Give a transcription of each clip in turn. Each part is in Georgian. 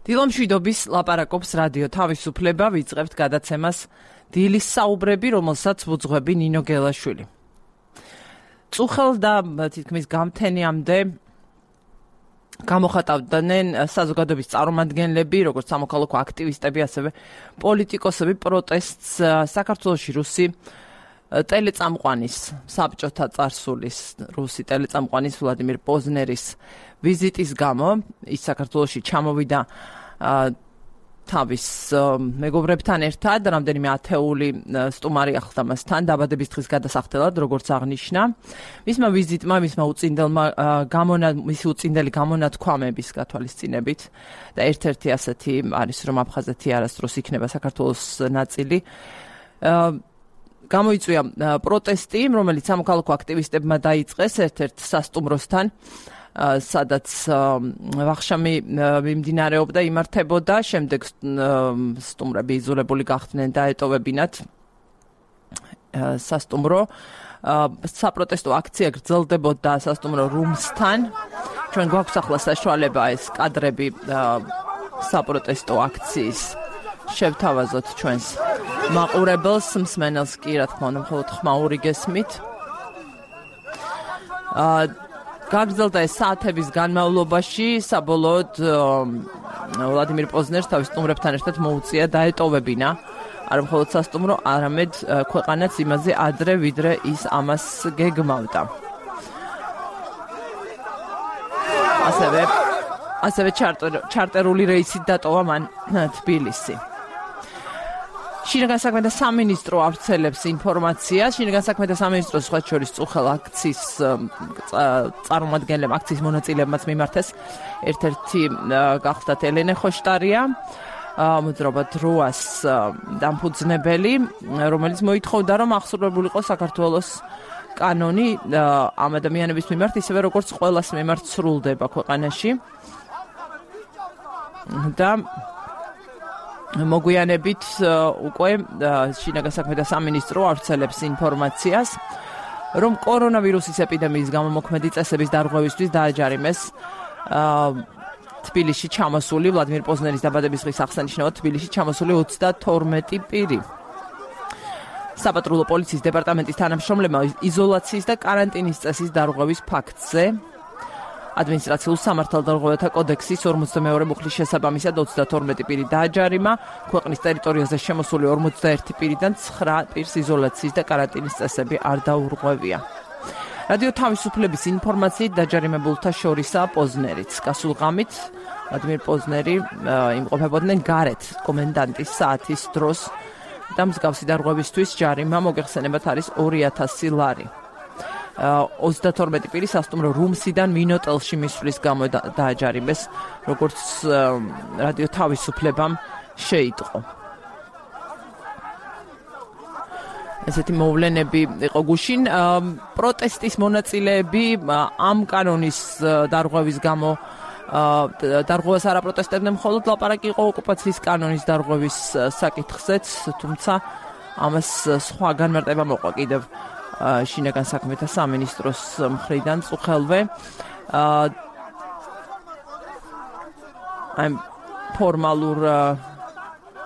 დილამშვიდობის ლაპარაკობს რადიო თავისუფლება, ვიწყებთ გადაცემას დილის საუბრები, რომელსაც ვუძღვები ნინო გელაშვილი. წუხელ და თითქმის გამთენიამდე გამოხატავდნენ საზოგადოების წარმომადგენლები, როგორც სამოქალაქო აქტივისტები, ასევე პოლიტიკოსები პროტესტს საქართველოში რუსი ტელეწამყვანის, საბჭოთა წარსულის რუსი ტელეწამყვანის ვლადიმირ პოზნერის ვიზიტის გამო. ის საქართველოში ჩამოვიდა თავის მეგობრებთან ერთად, რამდენიმე ათეული სტუმარი ახლდა მასთან დაბადების დღის გადასახდელად, როგორც აღნიშნა. მისმა ვიზიტმა, მისი უწინდელი გამონათქვამების გათვალისწინებით და ერთ-ერთი ასეთი არის, რომ აფხაზეთი არასდროს იქნება საქართველოს ნაწილი. გამოიწვია პროტესტი, რომელიც სამოქალაქო აქტივისტებმა დაიწყეს ერთ-ერთ სასტუმროსთან, სადაც ვახშამი მიმდინარეობდა, იმართებოდა, შემდეგ სტუმრები იზოლებული გახდნენ და ეტოვებინათ სასტუმრო. საპროტესტო აქცია გრძელდებოდა სასტუმრო რუმსთან. ჩვენ გვაქვს ახლა საშუალება ეს კადრები საპროტესტო აქციის შევთავაზოთ ჩვენს მაყურებელს, მსმენელს კი, რა თქმა უნდა, მხოლოდ ხმაური გესმით. გაგრძელდა ეს საათების განმავლობაში, საბოლოოდ ვლადიმირ პოზნერს თავის სტუმრებთან ერთად მოუწია დაეტოვებინა არა მხოლოდ სასტუმრო, არამედ ქვეყანაც იმაზე ადრე, ვიდრე ის ამას გეგმავდა. ასევე ჩარტერული რეისით დატოვა მან თბილისი. შინაგან საქმეთა სამინისტრო ავრცელებს ინფორმაციას. შინაგან საქმეთა სამინისტროს სხვა შორის წუხელ აქციის წარმომადგენლებმა, აქციის მონაწილეებმაც მიმართეს. ერთ-ერთი გახლდათ ელენე ხოშტარია, მოძრაობა დროას დამფუძნებელი, რომელიც მოითხოვდა, რომ აღსრულებულიყო საქართველოს კანონი ამ ადამიანების მიმართ, ისევე როგორც ყველას მიმართ სრულდება ქვეყანაში. და მოგვიანებით უკვე შინაგან საქმეთა სამინისტრო ავრცელებს ინფორმაციას, რომ კორონავირუსის ეპიდემიის გამო მოქმედი წესების დარღვევისთვის დააჯარიმეს თბილისში ჩამოსული ვლადიმირ პოზნერის დაბადების დღის აღსანიშნავად თბილისში ჩამოსული 32 პირი. საპატრულო პოლიციის დეპარტამენტის თანამშრომლებმა იზოლაციის და კარანტინის წესის დარღვევის ფაქტზე ადმინისტრაციულ სამართალდარღვევათა კოდექსის 42 მუხლის შესაბამისად 32 პირი დააჯარიმა. ქვეყნის ტერიტორიაზე შემოსული 41 პირიდან 9 პირს იზოლაციის და კარანტინის წესები არ დაურღვევია. რადიო თავისუფლების ინფორმაციით დაჯარიმებულთა შორისაა პოზნერიც. გასულ ღამით ვლადიმირ პოზნერი იმყოფებოდნენ გარეთ კომენდანტის საათის დროს და მსგავსი დარღვევისთვის ჯარიმა მოგეხსენებათ არის 2000 ლარი. 32 პირი სასტუმრო რუმსიდან მინოტელში მისვლის გამო დააჯარიმეს, როგორც რადიო თავისუფლებამ შეიტყო. ესეთი მოვლენები იყო გუშინ. პროტესტის მონაწილეები ამ კანონის დარღვევის გამო დარღვევას არ აპროტესტებდნენ, მხოლოდ ლაპარაკი იყო ოკუპაციის კანონის დარღვევის საკითხზეც, თუმცა ამას სხვა განმარტება მოყვა კიდევ შინაგან საქმეთა სამინისტროს მხრიდან წუხელვე. ამ ფორმალურ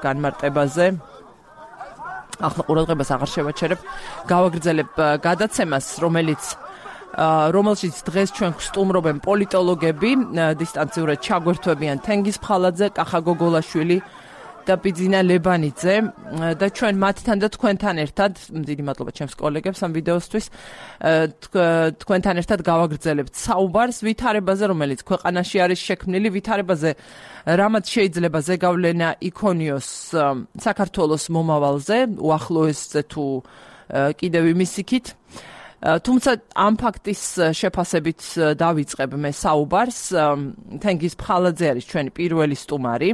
განმარტებაზე ახლა ყურადღებას აღარ შევაჩერებ. გავაგრძელებ გადაცემას, რომელშიც დღეს ჩვენ ვსტუმრობენ პოლიტოლოგები, დისტანციურად ჩაგვერთვებიან თენგიზ ფხალაძე, კახა გოგოლაშვილი და ბიძინა ლებანიძე და ჩვენ მათთან და თქვენთან ერთად, დიდი მადლობა ჩემს კოლეგებს ამ ვიდეოსთვის, თქვენთან ერთად გავაგრძელებთ საუბარს ვითარებაზე, რომელიც ქვეყანაში არის შექმნილი, ვითარებაზე, რამაც შეიძლება ზეგავლენა იქონიოს საქართველოს მომავალზე, უახლოესზე თუ კიდევ იმის იქით. თუმცა ამ ფაქტის შეფასებით დავიწყებ მე საუბარს. თენგიზ ფხალაძე არის ჩვენი პირველი სტუმარი.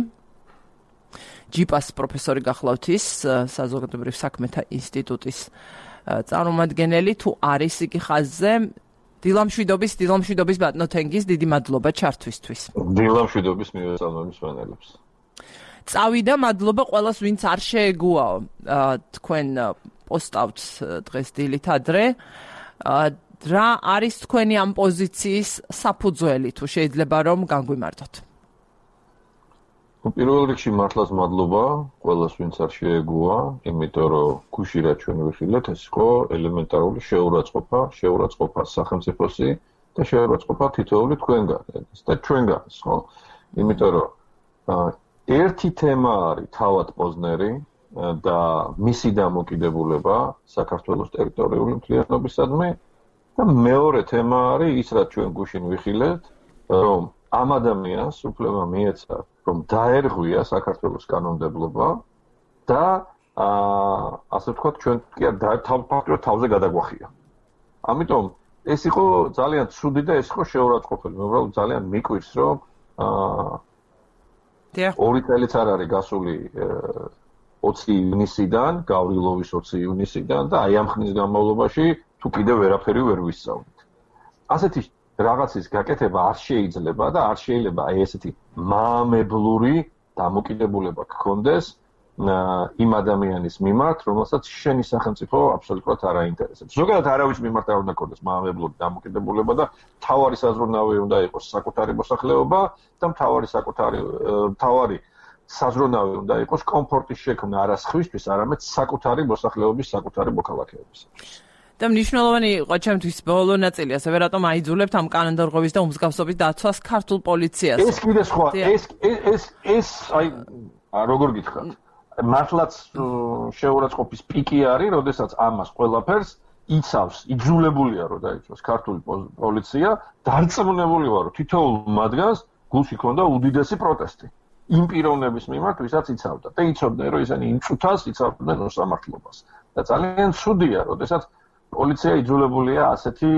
ჯიპას პროფესორი გახლავთ ის, საზოგადოებრივ საქმეთა ინსტიტუტის წარმომადგენელი, თუ არის იგი ხაზზე. დილამშვიდობის ბატონო თენგიზ, დიდი მადლობა ჩართვისთვის. დილამშვიდობის მივესალმები მსმენელებს. წავიდა, მადლობა ყველას, ვინც არ შეეგუაო. თქვენ პოსტავთ დღეს დილით ადრე. რა არის თქვენი ამ პოზიციის საფუძველი, თუ შეიძლება რომ განგვიმარტოთ? პირველ რიგში მართლაც მადლობა ყველას, ვინც არ შეეგუა, იმიტომ რომ გუში რა ჩვენ ვიხილეთ, ეს იყო ელემენტარული შეურაცხყოფა სახელმწიფოსი და შეურაცხყოფა თითოეული თქვენგან და ჩვენგანს, ხო? იმიტომ რომ ერთი თემა არის თავად პოზნერი და მისი დამოკიდებულება საქართველოს ტერიტორიული მთლიანობისადმი და მეორე თემა არის ის, რაც ჩვენ გუშინ ვიხილეთ, რომ ამ ადამიანს უფლება მიეცა, რომ დაერღვია საქართველოს კანონმდებლობა და ასე ვთქვათ, ჩვენ კი ფაქტობრივად თავზე გადაგვახია. ამიტომ ეს იყო ძალიან ცუდი და ეს იყო შეურაცხყოფელი. მე უბრალოდ ძალიან მიკვირს, რომ 2 წელიც არ არის გასული 20 ივნისიდან, გავრილოვის 20 ივნისიდან და აი ამ ხნის განმავლობაში თუ კიდევ ვერაფერი ვერ ვისწავლით. ასეთი რაღაცის გაკეთება არ შეიძლება და არ შეიძლება აი ესეთი მაამებლური დამოკიდებულება გქონდეს იმ ადამიანის მიმართ, რომელსაც შენი სახელმწიფო აბსოლუტურად არ აინტერესებს. ზოგადად არავის მიმართ არ უნდა გქონდეს მაამებლური დამოკიდებულება და მთავარი საზრუნავი უნდა იყოს საკუთარი მოსახლეობა და მთავარი საზრუნავი უნდა იყოს კომფორტის შექმნა არა სხვისთვის, არამედ საკუთარი მოსახლეობის, საკუთარი მოქალაქეების. და მნიშვნელოვანი იყო ჩემთვის ბოლო ნაწილი, ასევე რატომ აიძულებთ ამ კანონდარღვევის და უმსგავსობის დაცვას ქართულ პოლიციას. ეს კიდე სხვა, ეს აი როგორ გითხრათ, მართლაც შეურაცხყოფის პიკი არის, როდესაც ამას ყველაფერს იცავს, იძულებულია რომ დაიცვას ქართული პოლიცია, დარწმუნებული ვარ, რომ თითოეულ მათგანს გულში ჰქონდა უდიდესი პროტესტი. იმ პიროვნების მიმართ, ვისაც იცავდა და იცოდნენ, რომ ისინი იმ წუთას იცავდნენ უსამართლობას. და ძალიან ცუდია, როდესაც პოლიცია იძულებულია ასეთი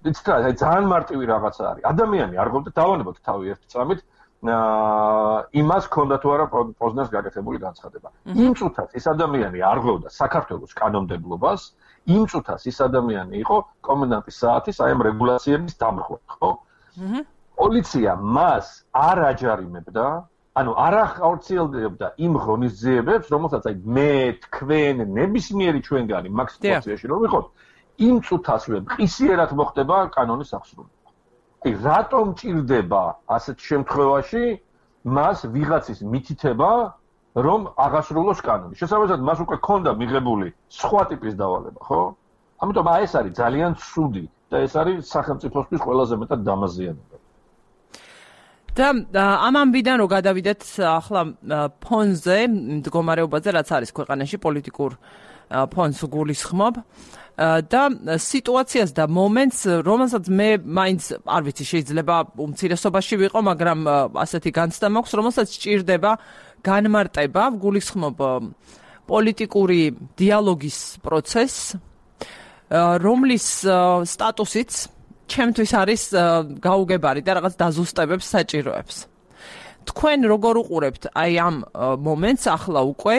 იცით რა, ძალიან მარტივი რაღაცა არის. ადამიანი არ ყოფდა დავანებოთ თავი ერთი წამით იმას ჰქონდა თუ არა პოზნერს გაკეთებული განცხადება. იმ წუთას ეს ადამიანი არ ღვევდა საქართველოს კანონმდებლობას, იმ წუთას ეს ადამიანი იყო კომენდანტის საათის აი ამ რეგულაციების დამხმარე, ხო? პოლიცია მას არ აჯარიმებდა, ანუ არ ახორციელებდა იმ ღონისძიებებს, რომელსაც აი მე, თქვენ, ნებისმიერი ჩვენგანი მაგ სიტუაციაში რომ ვიყოთ, იმ წუთასვე მყისიერად მოხდება კანონის აღსრულება. აი რატომ ჭირდება ასეთ შემთხვევაში მას ვიღაცის მითითება, რომ აღასრულოს კანონი? შესაბამისად, მას უკვე ჰქონდა მიღებული სხვა ტიპის დავალება, ხო? ამიტომ აი ეს არის ძალიან ცუდი და ეს არის სახელმწიფოსთვის ყველაზე მეტად დამაზიანებელი. და ამ ამბიდან რომ გადავიდეთ ახლა ფონზე, მდგომარეობაზე, რაც არის ქვეყანაში პოლიტიკურ ფონს გულისხმობ და სიტუაციას და მომენტს, რომელსაც მე მაინც არ ვიცი, შეიძლება უმცირესობაში ვიყო, მაგრამ ასეთი განცდა მაქვს, რომელსაც სჭირდება განმარტება, გულისხმობ პოლიტიკური დიალოგის პროცესს, რომლის სტატუსიც ჩემთვის არის გაუგებარი და რაღაც დაზუსტებებს საჭიროებს. თქვენ როგორ უყურებთ აი ამ მომენტს ახლა უკვე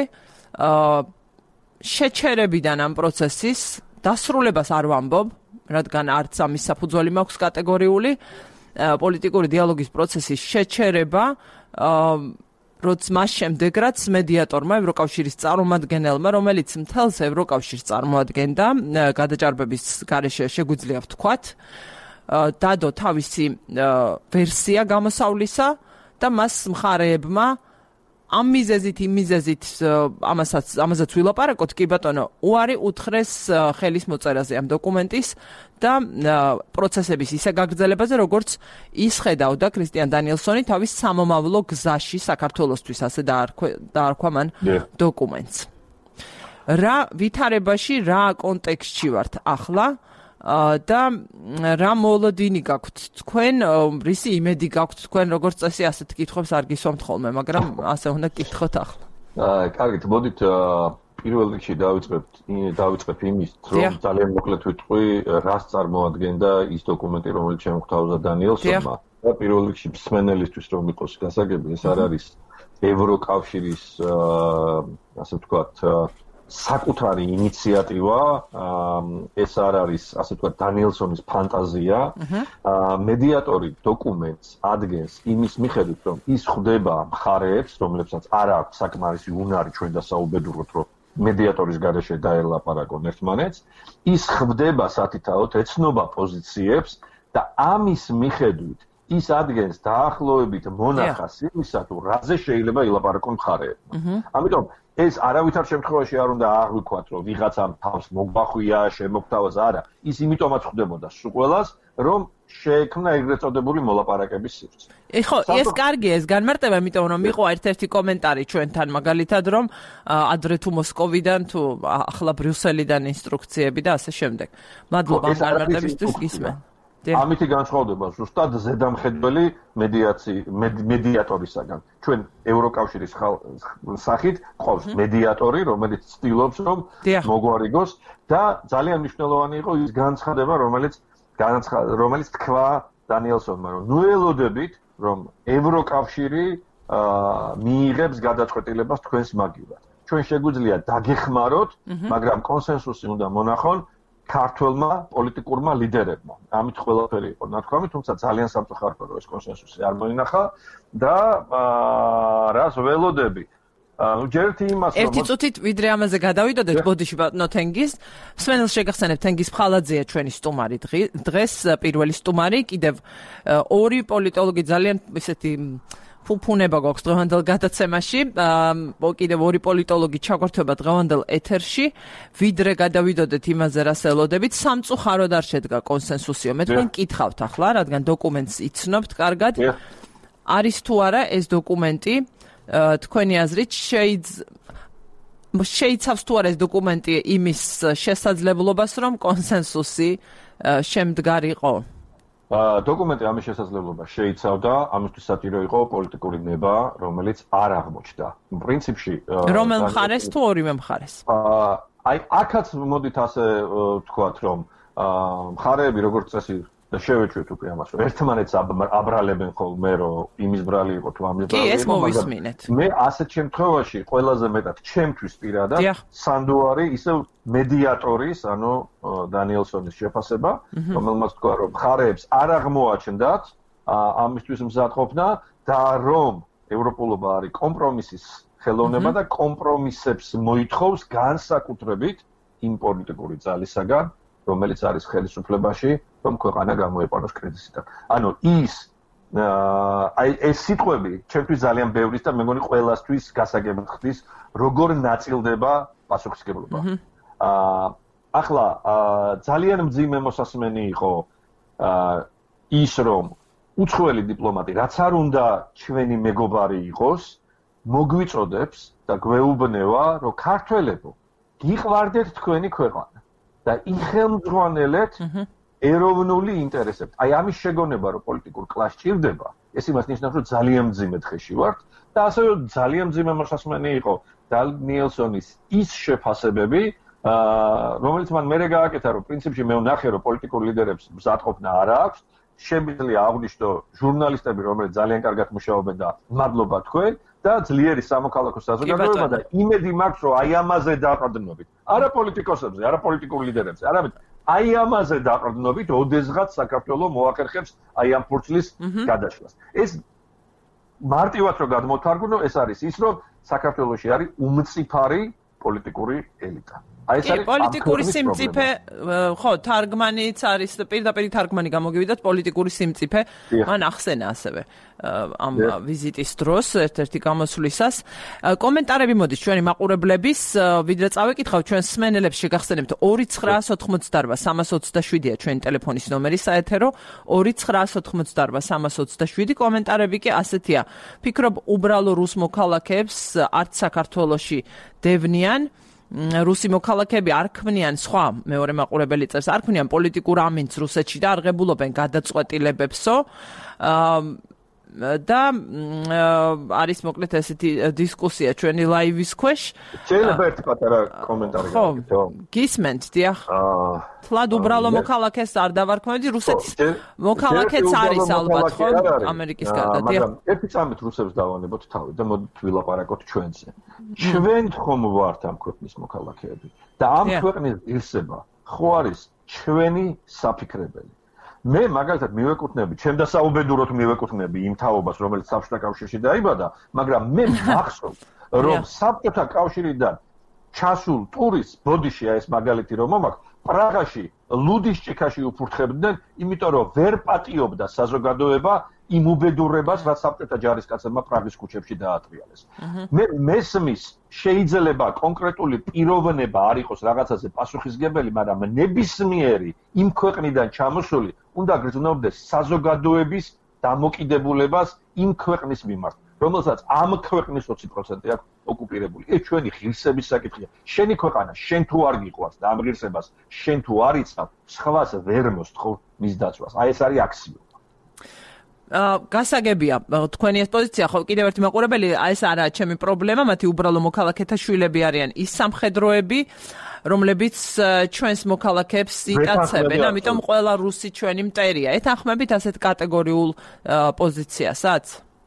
შეჩერებიდან ამ პროცესის დასრულებას არ ვამბობ, რადგან არც ამის საფუძველი მაქვს კატეგორიული, პოლიტიკური დიალოგის პროცესის შეჩერება, როცა მას შემდეგ რაც მედიატორმა, ევროკავშირის წარმომადგენელმა, რომელიც მთელს ევროკავშირს წარმოადგენდა, გადაჭარბების გარეშე შეგვიძლია ვთქვათ, დადო თავისი ვერსია გამოსავლისა და მას მხარეებმა ამ მიზეზით, იმ მიზეზით ამასაც ვილაპარაკოთ, კი ბატონო, უარი უთხრეს ხელის მოწერაზე ამ დოკუმენტის და პროცესების ისე გაგრძელებაზე, როგორც ის ხედავდა კრისტიან დანიელსონი თავის სამომავლო გზაში საქართველოსთვის, ასე დაარქვა მან დოკუმენტს. რა ვითარებაში, რა კონტექსტში ვართ ახლა და რა მოლოდინი გაქვთ თქვენ, რისი იმედი გაქვთ თქვენ, როგორც წესი ასეთ კითხვებს არ გისვამთ ხოლმე, მაგრამ ასე უნდა გკითხოთ ახლა. კარგით, მოდით პირველ რიგში დავიწყებ იმის, რომ ძალიან მოკლედ ვიტყვი, რას წარმოადგენდა ის დოკუმენტი, რომელიც შემოგვთავაზა დანიელსონმა. და პირველ რიგში მსმენელისთვის რომ იყოს გასაგები, ეს არ არის ევროკავშირის ასე ვთქვათ საკუთარი ინიციატივა, ეს არ არის, ასე ვთქვათ, დანიელსონის ფანტაზია. მედიატორი დოკუმენტს ადგენს იმის მიხედვით, რომ ის ხვდება მხარეებს, რომლებსაც არ აქვს საკმარისი უნარი ჩვენ დასაუბედუროთ, რომ მედიატორის გარეშე დაელაპარაკონ ერთმანეთს, ის ხვდება სათითაოდ, ეცნობა პოზიციებს და ამის მიხედვით ის ადგენს დაახლოებით მონახას იმისა, თუ რაზე შეიძლება ილაპარაკონ მხარეებმა. ამიტომ ეს არავითარ შემთხვევაში არ უნდა აღვიქვათ, რომ ვიღაცამ თავს მოგვახვია, შემოგთავაზა, არა. ის იმიტომაც ხდებოდა სულ ყველას, რომ შეექმნა ეგრეთ წოდებული მოლაპარაკების სივრცე. ხო, ეს კარგია, ეს განმარტება, იმიტომ რომ იყო ერთ-ერთი კომენტარი ჩვენთან, მაგალითად, რომ ადრე თუ მოსკოვიდან, თუ ახლა ბრიუსელიდან ინსტრუქციები და ასე შემდეგ. მადლობა ამ განმარტებისთვის, გისმენ. ამითი განსხვავდება ზუსტად ზედამხედველი მედიატორისაგან. ჩვენ ევროკავშირის სახით ყავს მედიატორი, რომელიც ცდილობს, რომ მოგვარიგოს და ძალიან მნიშვნელოვანი იყო ის განცხადება, რომელიც თქვა დანიელსონმა, რომ ნუ ელოდებით, რომ ევროკავშირი მიიღებს გადაწყვეტილებას თქვენს მაგივრად. ჩვენ შეგვიძლია დაგეხმაროთ, მაგრამ კონსენსუსი უნდა მონახონ ქართველმა პოლიტიკურმა ლიდერებმა. ამით ყველაფერი იყო ნათქვამი, თუმცა ძალიან სამწუხაროა, რომ ეს კონსენსუსი არ მოინახა და რას ველოდები. ჯერთი იმას რომ ერთი წუთით ვიდრე ამაზე გადავიდოდეთ, ბოდიში ბატონო თენგის. მსმენელს შეგახსენებთ, თენგის ფხალაძეა ჩვენი სტუმარი დღეს, პირველი სტუმარი, კიდევ ორი პოლიტოლოგი ძალიან ისეთი ფუფუნება გვაქვს დღევანდელ გადაცემაში. კიდევ ორი პოლიტოლოგი ჩაგვერთვება დღევანდელ ეთერში. ვიდრე გადავიდოდეთ იმაზე, რას ელოდებით, სამწუხაროდ არ შედგა კონსენსუსიო. მე თქვენ კითხავთ ახლა, რადგან დოკუმენტს იცნობთ კარგად. არის თუ არა ეს დოკუმენტი თქვენი აზრით შეიცავს თუ არა ეს დოკუმენტი იმის შესაძლებლობას, რომ კონსენსუსი შემდგარიყო? დოკუმენტი ამის შესაძლებლობას შეიცავდა, ამისთვის საჭირო იყო პოლიტიკური ნება, რომელიც არ აღმოჩნდა. პრინციპში რომელ მხარეს თუ ორივე მხარეს? აი, აქაც მოდით ასე ვთქვათ, რომ მხარეები როგორც წესი და შევეჩვევთ უკვე ამას, რომ ერთმანეთს აბრალებენ ხოლმე, რომ იმის ბრალი იყო თუ ამის ბრალი იყო. კი, ეს მოვისმინეთ. მე ასეთ შემთხვევაში ყველაზე მეტად ჩემთვის პირადად სანდუარი ისევ მედიატორის, ანუ დანიელსონის შეფასება, რომელმაც თქვა, რომ მხარეებს არ აღმოაჩნდათ ამისთვის მზადყოფნა და რომ ევროპულობა არის კომპრომისის ხელოვნება და კომპრომისებს მოითხოვს განსაკუთრებით იმ პოლიტიკური ძალისაგან, რომელიც არის ხელისუფლებაში, რომ ქვეყანა გამოეყაროს კრიზისიდან. ანუ ეს სიტყვები ჩემთვის ძალიან ბევრის და მე მგონი ყველასთვის გასაგებად ხდის, როგორ ნაწილდება პასუხისმგებლობა. ახლა ძალიან მძიმე მოსასმენი იყო ის, რომ უცხოელი დიპლომატი, რაც არ უნდა ჩვენი მეგობარი იყოს, მოგვიწოდებს და გვეუბნება, რომ ქართველებო, გიყვარდეთ თქვენი ქვეყანა და იხელმძღვანელეთ ეროვნული ინტერესებით. აი ამის შეგონება, რომ პოლიტიკურ კლასს ჭირდება, ეს იმას ნიშნავს, რომ ძალიან მძიმე დღეში ვართ და ასევე ძალიან მძიმე მოსასმენი იყო დანიელსონის ის შეფასებები, რომელიც მან მერე გააკეთა, რომ პრინციპში მე ვნახე, რომ პოლიტიკურ ლიდერებს მზადყოფნა არ აქვს, შემიძლია აღვნიშნო ჟურნალისტები, რომლებიც ძალიან კარგად მუშაობენ და მადლობა თქვენ და ძლიერი სამოქალაქო საზოგადოება და იმედი მაქვს, რომ აი ამაზე დაყრდნობით. არა პოლიტიკოსებზე, არა პოლიტიკურ ლიდერებზე, არამედ აი ამაზე დაყრდნობით, ოდესღაც საქართველოს მოახერხებს აი ამ ფურცლის გადაშლას. ეს მარტივად რო გადმოთარგმნო, ეს არის ის, რომ საქართველოში არის უმწიფარი პოლიტიკური ელიტა. აი ეს არის პოლიტიკური სიმწიფე, ხო, თარგმანიც არის, პირდაპირ თარგმანი გამოგივიდათ პოლიტიკური სიმწიფე. მან ახსენა ასევე ამ ვიზიტის დროს ერთ-ერთი გამოსვლისას. კომენტარები მოდის ჩვენი მაყურებლების, ვიდრე წავეკითხავ ჩვენს მსმენელებს შეგახსენებთ 2988327-ია ჩვენი ტელეფონის ნომერი საეთერო 2988327 კომენტარები კი ასეთია. ფიქრობ უბრალო რუს მოქალაქეებს არც საქართველოში დევნიან რუსი მოქალაქეები არ ქმნიან სხვა მეორე მაყურებელი წერს არ ქმნიან პოლიტიკურ ამინდს რუსეთში და არღებულობენ გადაწყვეტილებებსო და არის მოკლედ ესეთი დისკუსია ჩვენი ლაივის ქვეშ. შეიძლება ერთი პატარა კომენტარი გაკეთო. გისმენთ, დიახ. თლად უბრალო მოქალაქეს არ დავარქმევდი, რუსეთის მოქალაქეც არის ალბათ, ხო, ამერიკის გარდა, დიახ. მაგრამ ერთი წამით რუსებს დავანებოთ თავი და მოდით ვილაპარაკოთ ჩვენზე. ჩვენ ხომ ვართ ამ ქვეყნის მოქალაქეები და ამ ქვეყნის ღირსება ხო არის ჩვენი საფიქრებელი. მე მაგალითად მივეკუთვნები, ჩემ დასაუბედუროდ მივეკუთვნები იმ თაობას, რომელიც საბჭოთა კავშირში დაიბადა, მაგრამ მე მახსოვს, რომ საბჭოთა კავშირიდან ჩასულ ტურისტს, ბოდიში ეს მაგალითი რომ მომაქვს, პრაღაში ლუდის ჭიქაში უფურთხებდნენ, იმიტომ რომ ვერ პატიობდა საზოგადოება იმ უბედურებას, რაც საბჭოთა ჯარისკაცებმა პრაღის ქუჩებში დაატრიალეს. მე მესმის შეიძლება კონკრეტული პიროვნება არ იყოს რაღაცაზე პასუხისგებელი, მაგრამ ნებისმიერი იმ ქვეყნიდან ჩამოსული უნდა გრძნობდეს საზოგადოების დამოკიდებულებას იმ ქვეყნის მიმართ, რომელსაც ამ ქვეყნის 20% აქვს ოკუპირებული. ეს ჩვენი ღირსების საკითხია. შენი ქვეყანა, შენ თუ არ გიყვარს და ამ ღირსებას შენ თუ არ იცავ, სხვას ვერ მოსთხოვ მის დაცვას. აი ეს არის აქსიომა. გასაგებია თქვენი ეს პოზიცია, ხო, კიდევ ერთი მაყურებელი, ეს არაა ჩემი პრობლემა, მათი უბრალო მოქალაქეთა შვილები არიან ის სამხედროები, რომლებიც ჩვენს მოქალაქეებს იტაცებენ, ამიტომ ყველა რუსი ჩვენი მტერია. ეთანხმებით ასეთ კატეგორიულ პოზიციასაც?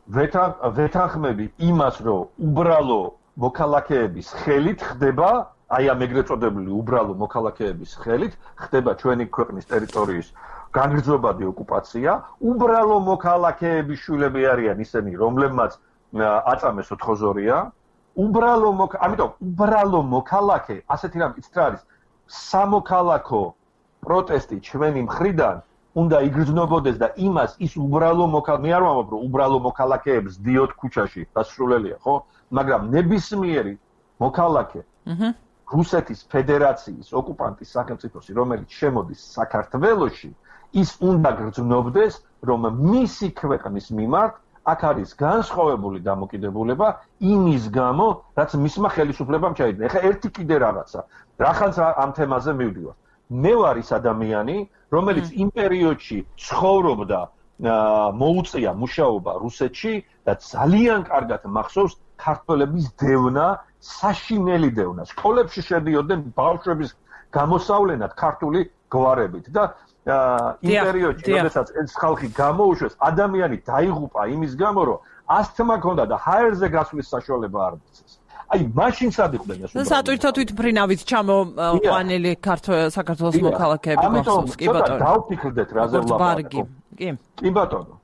ვეთანხმებით იმას, რომ უბრალო მოქალაქეების ხელით ხდება, აი ამ ეგრეთ წოდებული უბრალო მოქალაქეების ხელით ხდება ჩვენი ქვეყნის ტერიტორიის განგრძობადი ოკუპაცია, უბრალო მოქალაქეების შვილები არიან ისინი, რომლებმაც აწამეს ოთხოზორია, ამიტომ უბრალო მოქალაქე, ასეთი რამ იცით რა არის, სამოქალაქო პროტესტი ჩვენი მხრიდან უნდა იგრძნობოდეს და იმას ის უბრალო მე არ ვამბობ, რომ უბრალო მოქალაქეებს დიოთ ქუჩაში, დასრულელია, ხო? მაგრამ ნებისმიერი მოქალაქე რუსეთის ფედერაციის ოკუპანტის სახელმწიფოსი, რომელიც შემოდის საქართველოში, ის უნდა გრძნობდეს, რომ მისი ქვეყნის მიმართ აქ არის განსხვავებული დამოკიდებულება იმის გამო, რაც მისმა ხელისუფლებამ ჩაიდინა. ეხლა ერთი კიდე რაღაცა, რახანს ამ თემაზე მივდივარ. მე ვარ ის ადამიანი, რომელიც იმ პერიოდში ცხოვრობდა, მოუწია მუშაობა რუსეთში და ძალიან კარგად მახსოვს ქართველების დევნა, საშინელი დევნა. სკოლებში შედიოდნენ ბავშვების გამოსავლენად ქართული გვარებით და იმ პერიოდში, როდესაც ეს ხალხი გამოუშვეს, ადამიანი დაიღუპა იმის გამო, რომ ასთმა ჰქონდა და ჰაერზე გასვლის საშუალება არ მიცეს. აი, მაშინ სადიყვნენ ეს უბრალოდ. სატვირთო თვითმფრინავით ჩამოყვანილი საქართველოს მოქალაქეები გახსოვს, კი ბატონო. დავფიქრდეთ რაზე ვლაპარაკობ. კი ბატონო.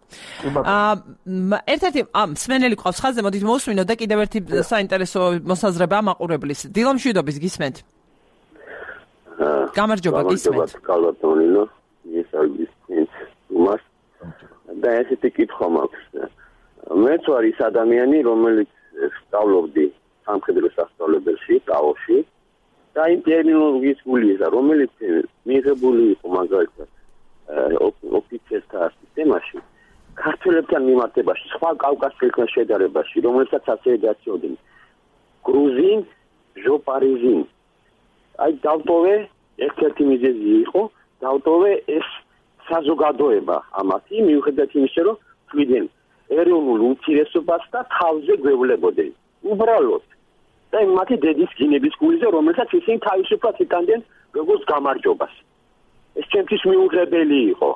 ერთ-ერთი მსმენელი ყავს ხაზზე, მოდით მოусმინოთ და კიდევ ერთი საინტერესო მოსაზრება მაყურებლის. დილამშვიდობის გისმენთ. გამარჯობა, გისმენთ. კალბატონინო, ეს არის უმას. და ესეთი კითხვა მაქვს. მეც ვარ ის ადამიანი, რომელიც სწავლობდი სამხედრო სასწავლებელში, ტაოში და იმ ტერმინოლოგიის გულისა, რომელიც მიღებული იყო მაგალითად ოფიცერთა სისტემაში, ქართველებთან მიმართებაში, სხვა კავკასიელთან შედარებაში, რომელსაც ასე ეძახდნენ გრუზინ, ჟოპარიზინ. აი დავტოვე ერთ-ერთი მიზეზი იყო, დავტოვე ეს საზოგადოება ამათი, მიუხედავად იმისა, რომ თვითონ ეროვნულ უმცირესობას და თავზე გვევლებოდნენ. უბრალოდ და მათი დედის გინების გულზე, რომელსაც ისინი თავისუფლად იტანდნენ როგორც გამარჯვებას. ეს ჩემთვის მიუღებელი იყო.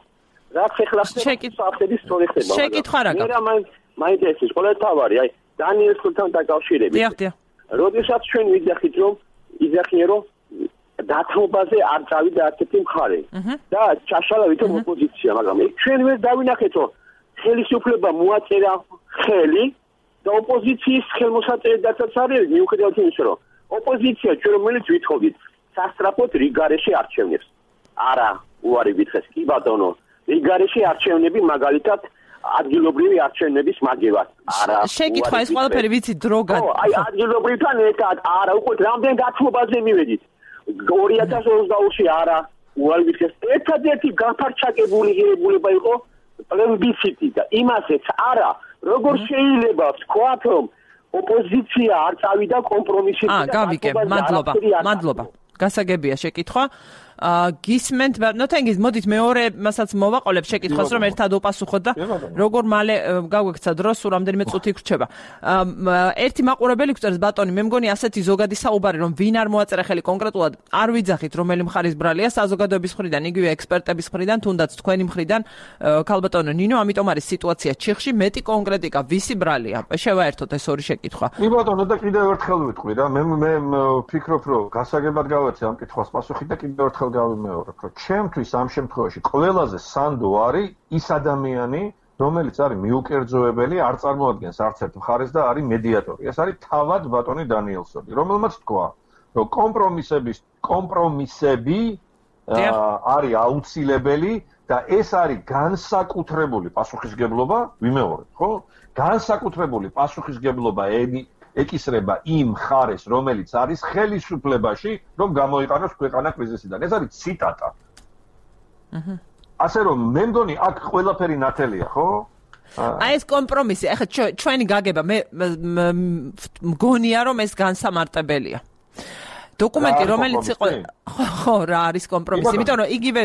რაც ეხლა საფრთხების სწორი ხდება. შეკითხვა რა გაქვს? მე მაინტერესებს ყოველთავარი, აი დანიელსთან დაკავშირებით. დიახ. როდესაც ჩვენ ვიძახით, რომ დათმობაზე არ წავიდა არცერთი მხარე და ჩაშალა ვითომ ოპოზიცია, მაგრამ ჩვენ ვერ დავინახეთ, რომ ხელისუფლება მოაწერა ხელი და ოპოზიციის ხელმოსაწერებაც არის, მიუხედავად იმისა, რომ ოპოზიცია ჩვენ რომელიც ვითხოვდით სასტრაფოდ რიგარეში არჩევნებს. არა, უარი ვითხრეს, კი ბატონო, რიგარეში არჩევნები მაგალითად ადგილობრივი არჩევნების მაგევად. არა. შეკითხვა ეს ყველაფერი ვიცი დრო გან. აი ადგილობრივთან ერთად არა, უკვე რამდენ დათმობაზე მივედით. 2022-ში არა, უარი ვითხრეს, ერთადერთი გაფარჩაკებული ღირებულება იყო პლებისციტი და იმასაც არა, როგორ შეიძლება ვთქვათ, რომ ოპოზიცია არ წავიდა კომპრომისში. გავიგე, მადლობა. გასაგებია შეკითხვა. გისმენთ, ნოთენგიზ, მოდით მეორე მასაც მოვაყოლებ შეკითხვას, რომ ერთად უპასუხოთ და როგორ მალე გავგვექცა დრო, სულ რამდენიმე წუთი გრჩება. ერთი მაყურებელი გვწერს, ბატონი, მე მგონი ასეთი ზოგადი საუბარი, რომ ვინ არ მოაწერა ხელი კონკრეტულად, არ ვიძახით, რომელი მხარის ბრალია, საზოგადოების მხრიდან, იგივე ექსპერტების მხრიდან, თუნდაც თქვენი მხრიდან, ქალბატონო ნინო, ამიტომ არის სიტუაცია ჩიხში, მეტი კონკრეტიკა, ვისი ბრალია? შევაერთოთ ეს ორი შეკითხვა. კი ბატონო, და კიდევ ერთხელ ვიტყვი რა, მე ვფიქრობ, რომ გასაგებად გავეცე ამ კითხვას პასუხი და კიდევ ერთხელ გავიმეორებ, რომ ჩემთვის ამ შემთხვევაში ყველაზე სანდო არის ის ადამიანი, რომელიც არის მიუკერძოებელი, არ წარმოადგენს არც ერთ მხარეს და არის მედიატორი. ეს არის თავად ბატონი დანიელსონი, რომელმაც თქვა, რომ კომპრომისები არის აუცილებელი და ეს არის განსაკუთრებული პასუხისგებლობა, ვიმეორებ, ხო? განსაკუთრებული პასუხისგებლობა ეკისრება იმ მხარეს, რომელიც არის ხელისუფლებაში, რომ გამოიყენოს ქვეყანა კრიზისიდან. ეს არის ციტატა. ასე რომ მე მგონი აქ ყველაფერი ნათელია, ხო? აი ეს კომპრომისი, ახლა ჩვენი გაგება მე მგონია რომ ეს განსამარტებელია. დოკუმენტი რომელიც იყო ხო რა არის კომპრომისი, იმიტომ რომ იგივე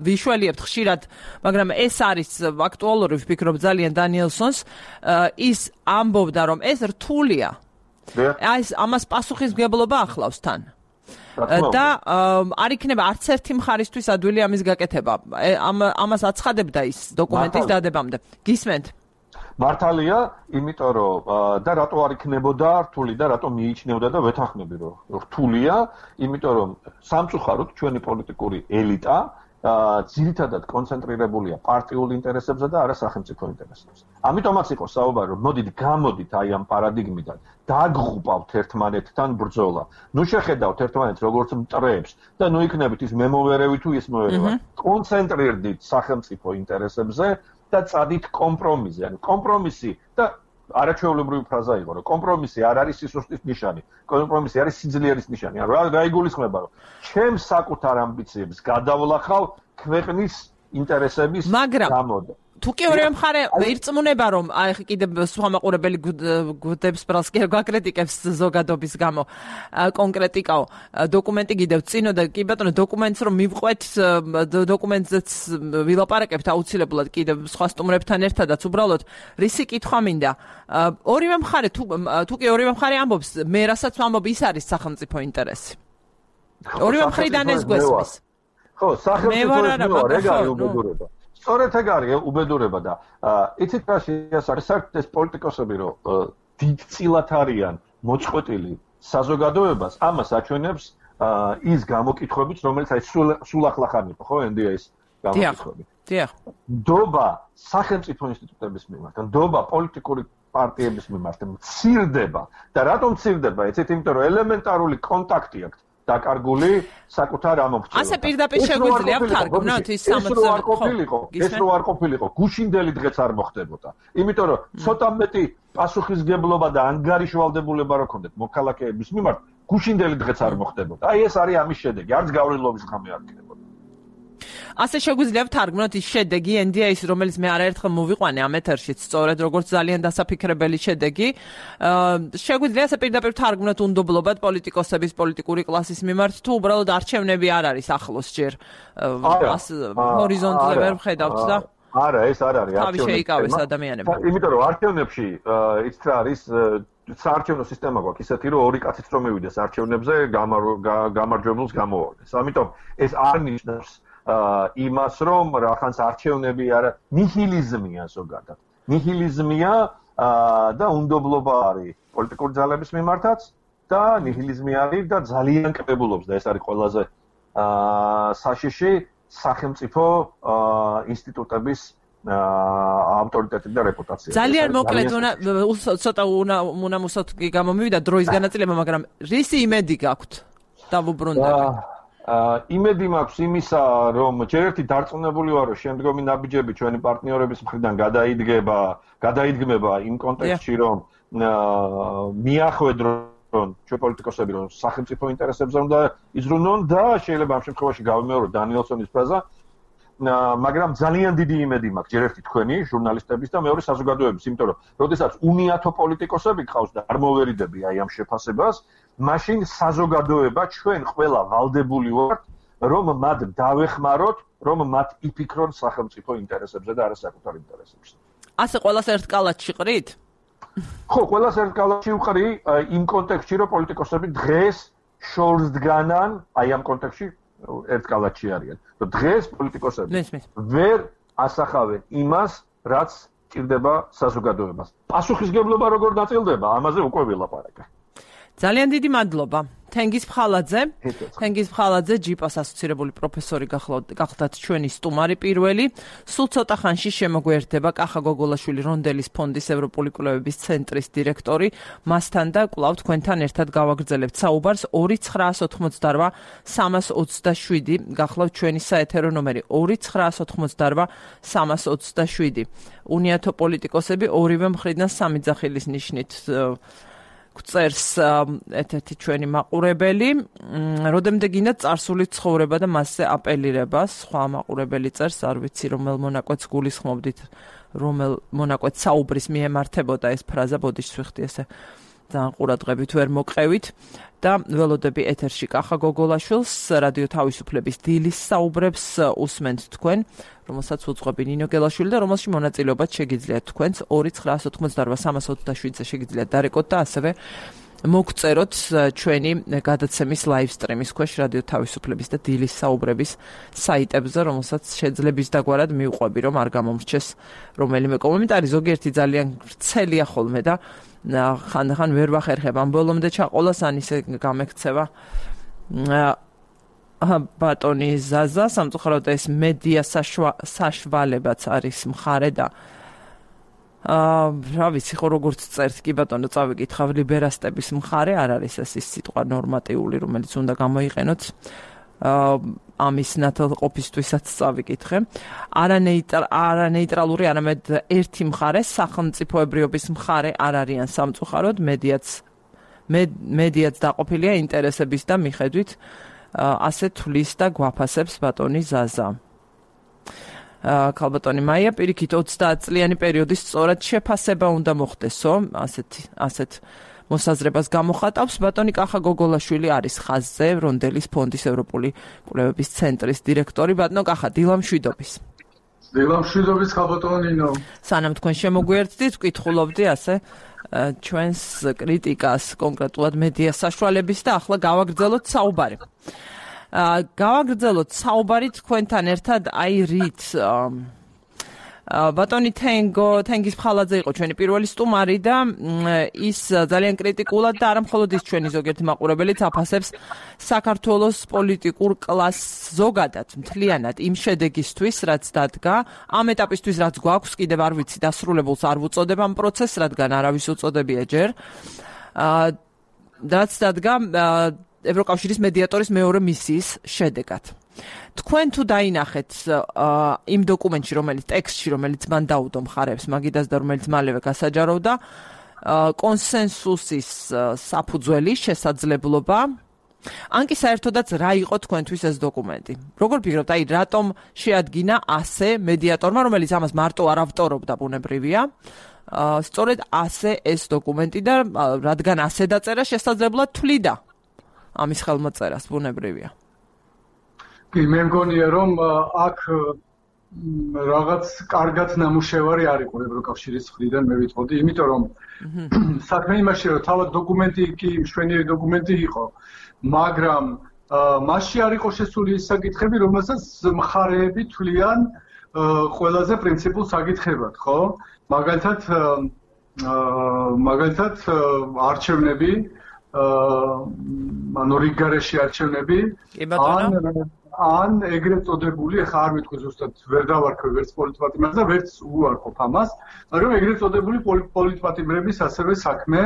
ვიშველიებთ ხშირად, მაგრამ ეს არის აქტუალური ვფიქრობ ძალიან დანიელსონს, ის ამბობდა რომ ეს რთულია. აი ეს ამას პასუხისმგებლობა ახლავს თან. და არ იქნება არც ერთი მხარისთვის ადვილი ამის გაკეთება. ამას აცხადებდა ის დოკუმენტის დადებამდე. გისმენთ? მართალია, იმიტომ რომ და რატო არ იქნებოდა რთული და რატო მიიჩნევდა და ვეთანხმები რომ რთულია, იმიტომ რომ სამწუხაროდ ჩვენი პოლიტიკური ელიტა ძირითადად კონცენტრირებულია პარტიულ ინტერესებზე და არა სახელმწიფო ინტერესებზე. ამიტომაც იყო საუბარი, რომ გამოდით აი ამ პარადიგმიდან, დაგღუპავთ ერთმანეთთან ბრძოლა. ნუ შეხედავთ ერთმანეთს როგორც მტრებს და ნუ იქნებით ის მემოვერევი თუ ის მოვერევა. კონცენტრირდით სახელმწიფო ინტერესებზე და წადით კომპრომისზე. ანუ კომპრომისი და არაჩვეულებრივი ფრაზა იყო, რომ კომპრომისი არ არის სისუსტის ნიშანი. კომპრომისი არის სიძლიერის ნიშანი. ანუ რა იგულისხმება, რომ ჩემს საკუთარ ამბიციებს გადავლახავ ქვეყნის ინტერესების გამო. თუ კი ორივე მხარე ირწმუნება რომ აი კიდე სხვა მაყურებელი გუდებს ბრალს კი გაკრიტიკებს ზოგადობის გამო კონკრეტიკაო დოკუმენტი კიდევ წინო და კი ბატონო დოკუმენტს რომ მივყვეთ დოკუმენტზეც ვილაპარაკებთ აუცილებლად კიდევ სხვა სტუმრებთან ერთადაც უბრალოდ რისი კითხვა მინდა ორივე მხარე თუ კი ორივე მხარე ამბობს მე რასაც ვამბობ ის არის სახელმწიფო ინტერესი ორივე მხრიდან ეს გვესმის ხო სახელმწიფო რეგარი უბედურება სწორედ ეგ არის უბედურება და იცით რა შეასახეს საერთოდ ეს პოლიტიკოსები რომ დიდწილად არიან მოწყვეტილი საზოგადოებას ამას აჩვენებს ის გამოკითხვებიც რომელიც აი სულ ახლახან იყო ხო NDA-ის გამოკითხვები. დიახ. დობა სახელმწიფო ინსტიტუტების მიმართ, დობა პოლიტიკური პარტიების მიმართ მცირდება და რატომ მცირდება? იცით იმიტომ რომ ელემენტარული კონტაქტი აქვს დაკარგული საკუთარ ამომრჩევლად. ასე პირდაპირ შეგვიძლია ვთარგმნოთ ის 60 ეს რო არ ყოფილიყო, გუშინდელი დღეც არ მოხდებოდა. იმიტომ რომ ცოტა მეტი პასუხისგებლობა და ანგარიშვალდებულება რო ქონდეთ მოქალაქეების მიმართ, გუშინდელი დღეც არ მოხდებოდა. აი ეს არის ამის შედეგი, არც გავრილობის ღამე არ იქნებოდა. ასე შეგვიძლია ვთარგმნოთ ის შედეგი NDA-ის, რომელიც მე არაერთხელ მოვიყვანე ამ ეთერშიც, სწორედ როგორც ძალიან დასაფიქრებელი შედეგი. შეგვიძლია ასე პირდაპირ ვთარგმნოთ უნდობლობად პოლიტიკოსების პოლიტიკური კლასის მიმართ, თუ უბრალოდ არჩევნები არ არის ახლოს ჯერ ჰორიზონტზე ვერ ვხედავთ და არა, ეს არ არის არჩევნები. თავი შეიკავეს ადამიანებმა. იმიტომ რომ არჩევნებში ის რა არის საარჩევნო სისტემა გვაქვს ისეთი რომ ორი კაციც რომ მივიდეს არჩევნებზე გამარჯვებულს გამოვარდეს. ამიტომ ეს არ ნიშნავს იმას რომ რახანს არჩევნები არა ნიჰილიზმია ზოგადად. ნიჰილიზმია და უნდობლობა არის პოლიტიკური ძალების მიმართაც და ნიჰილიზმი არის და ძალიან კრებულობს და ეს არის ყველაზე საშიში სახელმწიფო ინსტიტუტების ავტორიტეტი და რეპუტაცია. ძალიან მოკლედ ცოტა უნამუსოთ გამომივიდა დროის განაწილება, მაგრამ რისი იმედი გაქვთ დავუბრუნდები? იმედი მაქვს იმისა, რომ ჯერ ერთი დარწმუნებული ვარ, რომ შემდგომი ნაბიჯები ჩვენი პარტნიორების მხრიდან გადაიდგმება იმ კონტექსტში, რომ მიახვედრონ ჩვენ პოლიტიკოსები, რომ სახელმწიფო ინტერესებზე უნდა იზრუნონ და შეიძლება ამ შემთხვევაში გავიმეორო დანიელსონის ფრაზა, მაგრამ ძალიან დიდი იმედი მაქვს ჯერ ერთი თქვენი ჟურნალისტების და მეორე საზოგადოების, იმიტომ რომ როდესაც უნიათო პოლიტიკოსები გყავს და არ მოვერიდები აი ამ შეფასებას, მაშინ საზოგადოება ჩვენ ყველა ვალდებული ვართ, რომ მათ დავეხმაროთ, რომ მათ იფიქრონ სახელმწიფო ინტერესებზე და არა საკუთარ ინტერესებზე. ასე ყველას ერთ კალათში ყრით? ხო, ყველას ერთ კალათში ვყრი იმ კონტექსტში, რომ პოლიტიკოსები დღეს შორს დგანან, აი ამ კონტექსტში ერთ კალათში არიან. რომ დღეს პოლიტიკოსები ვერ ასახავენ იმას, რაც ჭირდება საზოგადოებას. პასუხისგებლობა როგორ დაწილდება, ამაზე უკვე ვილაპარაკე. ძალიან დიდი მადლობა. თენგიზ ფხალაძე ჯიპას ასოცირებული პროფესორი გახლდათ ჩვენი სტუმარი პირველი. სულ ცოტა ხანში შემოგვერდება კახა გოგოლაშვილი რონდელის ფონდის ევროპული კვლევების ცენტრის დირექტორი. მასთან და კვლავ თქვენთან ერთად გავაგრძელებთ საუბარს 2988 327 გახლავთ ჩვენი საეთერო ნომერი 2988 327. უნიათო პოლიტიკოსები ორივე მხრიდან სამი ძახილის ნიშნით წერს ერთ-ერთი ჩვენი მაყურებელი, როდემდე გინდა წარსული ცხოვრება და მასზე აპელირება, სხვა მაყურებელი წერს, არ ვიცი რომელ მონაკვეთს გულისხმობდით, რომელ მონაკვეთს საუბრის მიემართებოდა ეს ფრაზა, ბოდიშს ვიხდი ესე ძალიან ყურადღებით ვერ მოყევით და ველოდები ეთერში კახა გოგოლაშვილს რადიო თავისუფლების დილის საუბრებს უსმენთ თქვენ, რომელსაც უძღვები ნინო გელაშვილი და რომელში მონაწილეობაც შეგიძლიათ თქვენს 2988 327-ზე შეგიძლიათ დარეკოთ და ასევე მოგწეროთ ჩვენი გადაცემის live stream-ის ქვეშ რადიო თავისუფლების და დილის საუბრების საიტებზე, რომელსაც შეძლებს დაგვარად მივყვები, რომ არ გამომრჩეს რომელიმე კომენტარი, ზოგიერთი ძალიან ვრცელია ხოლმე და ხანდახან ვერ ვახერხებ ამ ბოლომდე ჩაყოლას, ან ისე გამექცევა ბატონი ზაზა, სამწუხაროდ ეს მედია საშუალებაც არის მხარე და რა ვიცი ხო როგორც წერთ კი ბატონო წავიკითხავ ლიბერასტების მხარე არ არის ეს სიტყვა ნორმატიული რომელიც უნდა გამოიყენოთ ამის ნათელყოფისთვისაც წავიკითხე არანეიტრალური არამედ ერთი მხარე სახელმწიფოებრიობის მხარე არ არიან სამწუხაროდ მედიაც დაყოფილია ინტერესების და მიხედვით ასე თulis და გვაფასებს ბატონი ზაზა ქალბატონი მაია პირიქით 30 წლიანი პერიოდის სწორად შეფასება უნდა მოხდესო ასეთ მოსაზრებას გამოხატავს ბატონი კახა გოგოლაშვილი არის ხაზზე რონდელის ფონდის ევროპული კვლევების ცენტრის დირექტორი ბატონო კახა დილამშვიდობის ქალბატონო ნინო სანამ თქვენ შემოგვიერთდით ვკითხულობდი ასე ჩვენს კრიტიკას კონკრეტულად მედია საშუალების და ახლა გავაგრძელოთ საუბარი საუბარი თქვენთან ერთად აი რით ბატონი თენგიზ ფხალაძე იყო ჩვენი პირველი სტუმარი და ის ძალიან კრიტიკულად და არა მხოლოდ ის ჩვენი ზოგიერთი მაყურებელიც აფასებს საქართველოს პოლიტიკურ კლასს ზოგადად მთლიანად იმ შედეგისთვის რაც დადგა ამ ეტაპისთვის რაც გვაქვს კიდევ არ ვიცი დასრულებულს არ ვუწოდებ ამ პროცესს რადგან არავის უწოდებია ჯერ რაც დადგა ევროკავშირის მედიატორის მეორე მისიის შედეგად. თქვენ თუ დაინახეთ იმ დოკუმენტში, ტექსტში, რომელიც მან დაუდო მხარებს მაგიდას და რომელიც მალევე გასაჯაროვდა, კონსენსუსის საფუძველი, შესაძლებლობა, ან კი საერთოდაც რა იყო თქვენთვის ეს დოკუმენტი? როგორ ფიქრობთ, აი რატომ შეადგინა ასე მედიატორმა, რომელიც ამას მარტო არ ავტორობდა, ბუნებრივია? სწორედ ასე ეს დოკუმენტი და რადგან ასე დაწერა, შესაძლებლად თვლიდა ამის ხელმოწერას ბუნებრივია. კი, მე მგონია რომ აქ რაღაც კარგად ნამუშევარი არ იყო ევროკავშირის მხრიდან მე ვიტყოდი, იმიტომ რომ საქმე იმაში რომ თავად დოკუმენტი კი მშვენიერი დოკუმენტი იყო, მაგრამ მასში არ იყო შესული ის საკითხები, რომელსაც მხარეები თვლიან ყველაზე პრინციპულ საკითხებად, ხო? მაგალითად არჩევნები ანუ რიგგარეში არჩევნები ან ეგრეთ წოდებული ახლა არ ვიტყვი ზუსტად ვერ დავარქვე ვერც პოლიტპატიმრებს და ვერც უარყოფ ამას მაგრამ ეგრეთ წოდებული პოლიტპატიმრების ასევე საქმე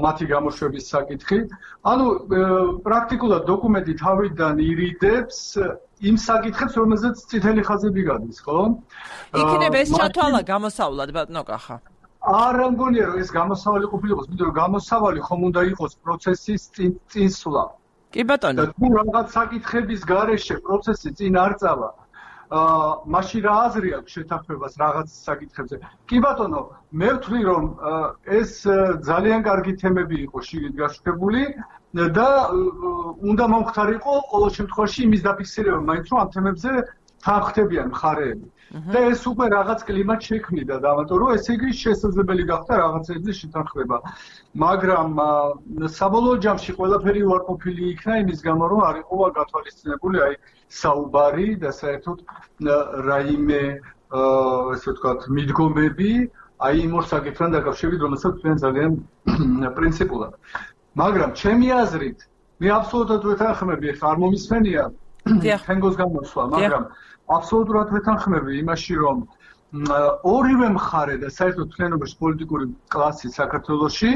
მათი გამოშვების საკითხი ანუ პრაქტიკულად დოკუმენტი თავიდან ირიდებს იმ საკითხებს რომელზეც წითელი ხაზები გადის ხო იქნებ ეს ჩათვალა გამოსავლად ბატონო კახა არ მგონია რომ ეს გამოსავალი ყოფილიყოს, იმიტომ რომ გამოსავალი ხომ უნდა იყოს პროცესის წინსვლა. კი ბატონო. და თუ რაღაც საკითხების გარეშე პროცესი წინ არ წავა, მაშინ რა აზრი აქვს შეთანხმებას რაღაც საკითხებზე? კი ბატონო, მე ვთვლი რომ ეს ძალიან კარგი თემები იყო შიგნით გაშუქებული და უნდა მომხდარიყო ყოველ შემთხვევაში იმის დაფიქსირება, მაინც რომ ამ თემებზე თანხმდებიან მხარეები. და ეს უკვე რაღაც კლიმატ შექმნიდა და ამიტომ რომ ესე იგი შესაძლებელი გახდა რაღაცებზე შეთანხმება. მაგრამ საბოლოო ჯამში ყველაფერი უარყოფილი იქნა იმის გამო რომ არ იყო გათვალისწინებული აი საუბარი და საერთოდ რაიმე ესე ვთქვათ მიდგომები აი იმ ორ საკითხთან დაკავშირებით რომელსაც თქვენ ძალიან პრინციპულად მაგრამ ჩემი აზრით მე აბსოლუტურად ვეთანხმები, ხა არ მომისმენია თენგოს გამოსვლა, მაგრამ აბსოლუტურად ვეთანხმები იმაში, რომ ორივე მხარე და საერთოდ თლიანობაში პოლიტიკური კლასი საქართველოში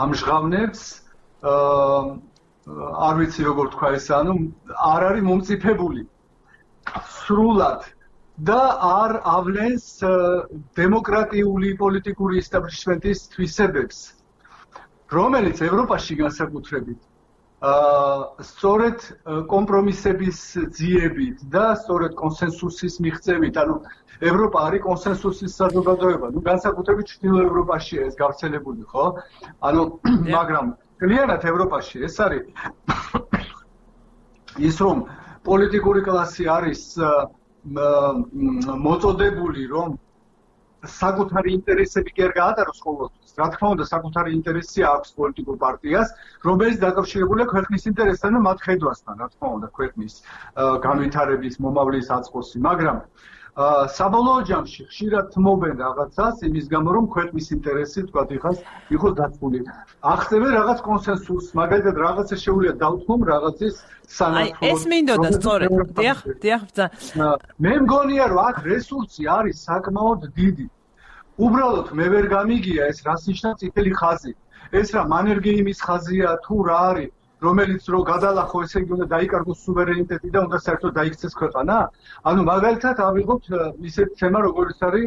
ამჟღავნებს არ ვიცი როგორ თქვა ეს, ანუ არ არის მომწიფებული სრულად და არ ავლენს დემოკრატიული პოლიტიკური ისტაბლიშმენტის თვისებებს, რომელიც ევროპაში განსაკუთრებით სწორედ კომპრომისების ძიებით და სწორედ კონსენსუსის მიღწევით, ანუ ევროპა არის კონსენსუსის საზოგადოება, განსაკუთრებით ჩრდილო ევროპაშია ეს გავრცელებული, ხო? ანუ მაგრამ კლიანად ევროპაში ეს არის ის რომ პოლიტიკური კლასი არის მოწოდებული, რომ საკუთარი ინტერესები კი არ გაატაროს ყოველთვის. რა თქმა უნდა, საკუთარი ინტერესი აქვს პოლიტიკურ პარტიას, რომელიც დაკავშირებულია ქვეყნის ინტერესთან და მათ ხედვასთან, რა თქმა უნდა, ქვეყნის განვითარების, მომავლის აწყოსი, მაგრამ საბოლოო ჯამში ხშირად თმობენ რაღაცას იმის გამო, რომ ქვეყნის ინტერესი თქვათ იყოს დაცული. ახსნებენ რაღაც კონსენსუსს, მაგალითად რაღაცა შეუძლია დავთმომ რაღაცის სანაცვლოდ. ეს მინდოდა სწორედ. დიახ. მე მგონია, რომ აქ რესურსი არის საკმაოდ დიდი. უბრალოდ მე ვერ გამიგია ეს რას ნიშნავს წითელი ხაზი. ეს რა მანერგეიმის ხაზია თუ რა არის, რომელიც რო გადალახო, ესე იგი უნდა დაიკარგოს სუვერენიტეტი და უნდა საერთოდ დაიქცეს ქვეყანა? ანუ მაგალითად ავიღოთ ისეთ თემა, როგორც არის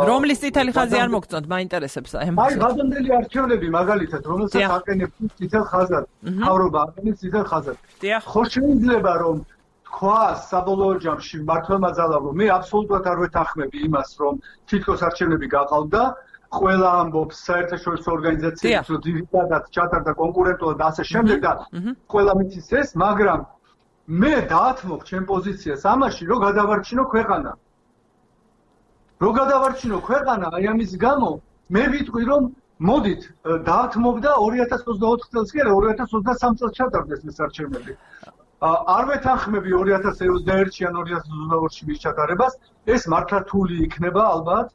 რომლის წითელი ხაზი არ მოგწონთ, მაინტერესებს აი. აი, გადამდელი არჩევნები მაგალითად, რომელსაც აყენებს წითელ ხაზად, მთავრობა აყენებს წითელ ხაზად. ხო შეიძლება რომ თქვა საბოლოო ჯამში მართლმა ძალავრო, მე აბსოლუტურად არ ვეთანხმები იმას, რომ თითქოს არჩევნები გაყავდა, ყველა ამბობს საერთაშორისო ორგანიზაციებს, რომ ძირითადად ჩატარდა კონკურენტულად და ასე შემდეგ და ყველა მიცის ეს, მაგრამ მე დაათმობ ჩემ პოზიციას ამაში, რომ გადავარჩინო ქვეყანა. რო გადავარჩინო ქვეყანა, აი ამის გამო მე ვიტყვი, რომ მოდით დაათმობ და 2024 წელს კი არა, 2023 წელს ჩატარდეს ეს არჩევნები. არ ვეთანხმები 2021-ში ან 2022-ში მის ჩატარებას, ეს მართლა რთული იქნება ალბათ.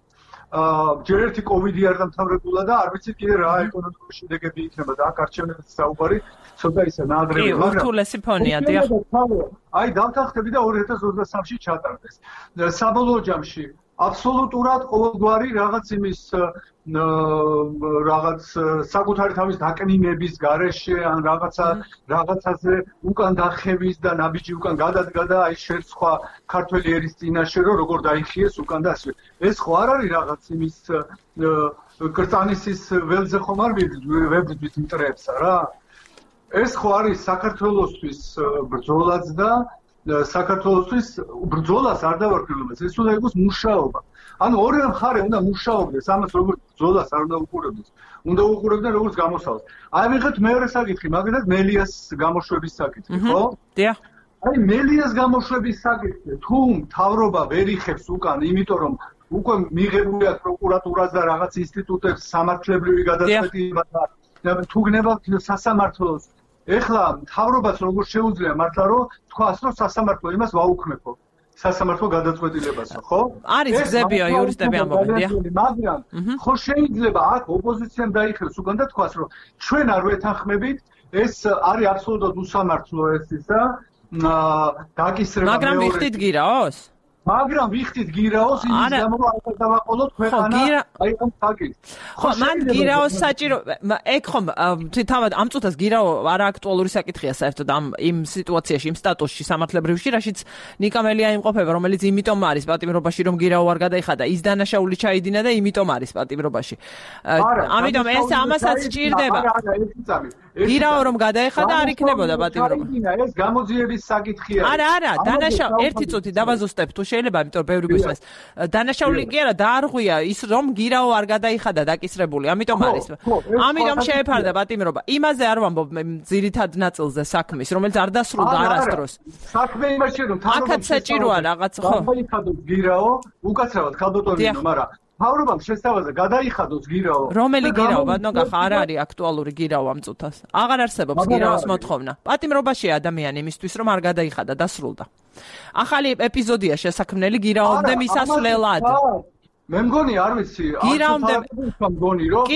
ჯერ ერთი კოვიდი არ დამთავრებულა და არ ვიცი კიდე რა ეკონომიკური შედეგები იქნება და აქ არჩევნების საუბარი ცოტა ისე ნაადრევია, მაგრამ რთულესი ფონია, დიახ. აი დავთანხმები და 2023-ში ჩატარდეს. საბოლოო ჯამში აბსოლუტურად ყოველგვარი რაღაც იმის რაღაც საკუთარი თავის დაკნინების გარეშე ან რაღაცაზე უკან დახევის და ნაბიჯი უკან გადადგა და აი შეცხვა ქართველი ერის წინაშე რომ როგორ დაიხიეს უკან და ასე. ეს ხო არ არის რაღაც იმის კრწანისის ველზე ხომ არ ვებრძვით მტრებსა რა. ეს ხო არის საქართველოსთვის ბრძოლაც და საქართველოსთვის ბრძოლას არ დავარქმევს, ეს უნდა იყოს მუშაობა. ანუ ორივე მხარე უნდა მუშაობდეს, ამას როგორც ბრძოლას არ უნდა უყურებდეს. უნდა უყურებდნენ როგორც გამოსავალს. აი მიხეთ მეორე საკითხი, მაგალითად მელიას გამოშვების საკითხი, ხო? დიახ. აი მელიას გამოშვების საკითხი, თუ მთავრობა ვერ იხებს უკან, იმიტომ რომ უკვე მიღებული აქვს პროკურატურას და რაღაც ინსტიტუტებს სამართლებრივი გადაწყვეტილება და თუ გნებავთ სასამართლოს ეხლა მთავრობას როგორ შეუძლია მართლა რომ თქვას რომ სასამართლო იმას ვაუქმებო სასამართლო გადაწყვეტილებასო ხო? არის გზებია იურისტები ამბობენ, დიახ. მაგრამ ხო შეიძლება აქ ოპოზიციამ დაიხევს უკან და თქვას რომ ჩვენ არ ვეთანხმებით, ეს არის აბსოლუტურად უსამართლო ეს ისა დაკისრება. მაგრამ ვიხდით გირაოს? მაგრამ ვიხდით გირაოს იმის გამო რომ არ დავაყოლოთ ქვეყანა აი ამ საკითხს. ხო, მან გირაოს საჭირო, ეგ ხომ თავად ამ წუთას გირაო არა აქტუალური საკითხია საერთოდ ამ იმ სიტუაციაში, იმ სტატუსში სამართლებრივში, რაშიც ნიკამელია იმყოფება, რომელიც იმიტომ არის პატიმრობაში, რომ გირაო არ გადაიხადა, ის დანაშაული ჩაიდინა და იმიტომ არის პატიმრობაში. ამიტომ ეს ამასაც სჭირდება. გირაო რომ გადაეხადა არ იქნებოდა პატიმრობა. ეს გამოძიების საკითხია. არა, დანაშაული ერთი წუთი დავაზუსტებ თუ შეიძლება, იმიტომ ბევრი გვისმენს. დანაშაული კი არა, დაარღვია ის რომ გირაო არ გადაიხადა დაკისრებული, ამიტომ არის. ამიტომ შეეფარდა პატიმრობა. იმაზე არ ვამბობ ძირითად ნაწილზე საქმის, რომელიც არ დასრულდა არასდროს. საქმე იმაში რომ აქაც საჭიროა რაღაც ხო? გადაიხადოს გირაო, უკაცრავად ხალბატონინო, მაგრამ მთავრობამ შესთავაზა გადაიხადოს გირაო. რომელი გირაო, ბატონო, არ არის აქტუალური გირაო ამ წუთას. აღარ არსებობს გირაოს მოთხოვნა. პატიმრობაშია ადამიანი იმისთვის, რომ არ გადაიხადა, დასრულდა. ახალი ეპიზოდია შესაქმნელი გირაომდე მისასვლელად. მე მგონი არ ვიცი მგონი რომ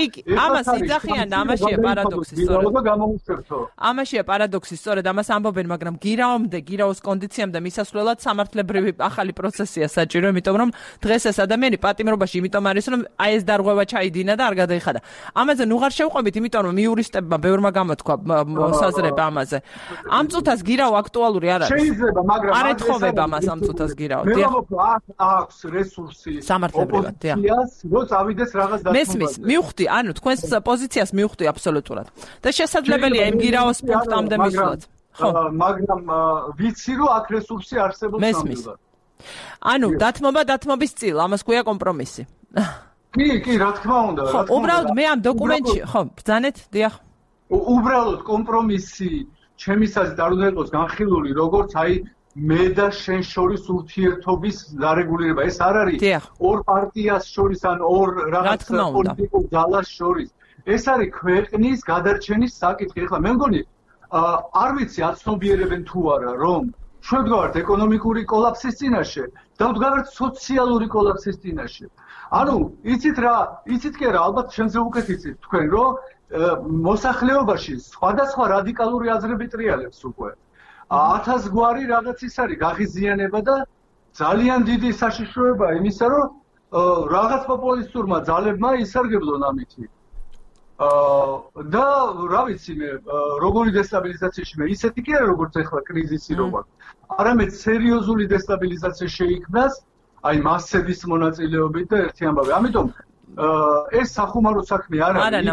ამას იძახიან და ამაშია პარადოქსი სწორედ ამაშია პარადოქსი სწორედ ამას ამბობენ მაგრამ გირაოს კონდიციამდე მისასვლელად სამართლებრივი ახალი პროცესია საჭირო იმიტომ რომ დღეს ეს ადამიანი პატიმრობაში იმიტომ არის რომ აი ეს დარღვევა ჩაიდინა და არ გადაიხადა ამაზე ნუ აღარ შევყვებით იმიტომ რომ იურისტებმა ბევრმა გამოთქვა მოსაზრება ამაზე ამ წუთას გირაო აქტუალური არ არის შეიძლება მაგრამ არ ეთხოვება მას ამ წუთას გირაო აქვს რესურსი სამართლებრივად რო წავიდეს რაღაც დათმობა მესმის მივხვდი ანუ თქვენს პოზიციას მივხვდი აბსოლუტურად და შესაძლებელია იმ გირაოს პუნქტამდე მისვლაც ხო მაგრამ ვიცი რომ აქ რესურსი არსებობს ნამდვილად ანუ დათმობის წილ ამას ქვია კომპრომისი კი რა თქმა უნდა ხო უბრალოდ მე ამ დოკუმენტში ხო ბრძანეთ დიახ უბრალოდ კომპრომისი ჩემი აზრით არ უნდა იყოს განხილული როგორც აი მე და შენ შორის ურთიერთობის დარეგულირება ეს არ არის ორ პარტიას შორის ან ორ რაღაც პოლიტიკურ ძალას შორის ეს არის ქვეყნის გადარჩენის საკითხი ახლა მე მგონი არ ვიცი აცნობიერებენ თუ არა რომ ჩვენ ვდგავართ ეკონომიკური კოლაფსის წინაშე და ვდგავართ სოციალური კოლაფსის წინაშე ანუ იცით კი არა ალბათ შენზე უკეთ იცით თქვენ რომ მოსახლეობაში სხვადასხვა რადიკალური აზრები ტრიალებს უკვე 1000 გვარი რაღაც ის არის გაღიზიანება და ძალიან დიდი საშიშროებაა იმისა რომ რაღაც პოპულისტურმა ძალებმა ისარგებლონ ამით და რა ვიცი მე როგორი დესტაბილიზაციაში მე ისეთი კი არა როგორც ახლა კრიზისი როგორ არამედ სერიოზული დესტაბილიზაცია შეიქმნას აი მასების მონაწილეობით და ერთი ამბავი ამიტომ ეს სახუმარო საქმე არ არის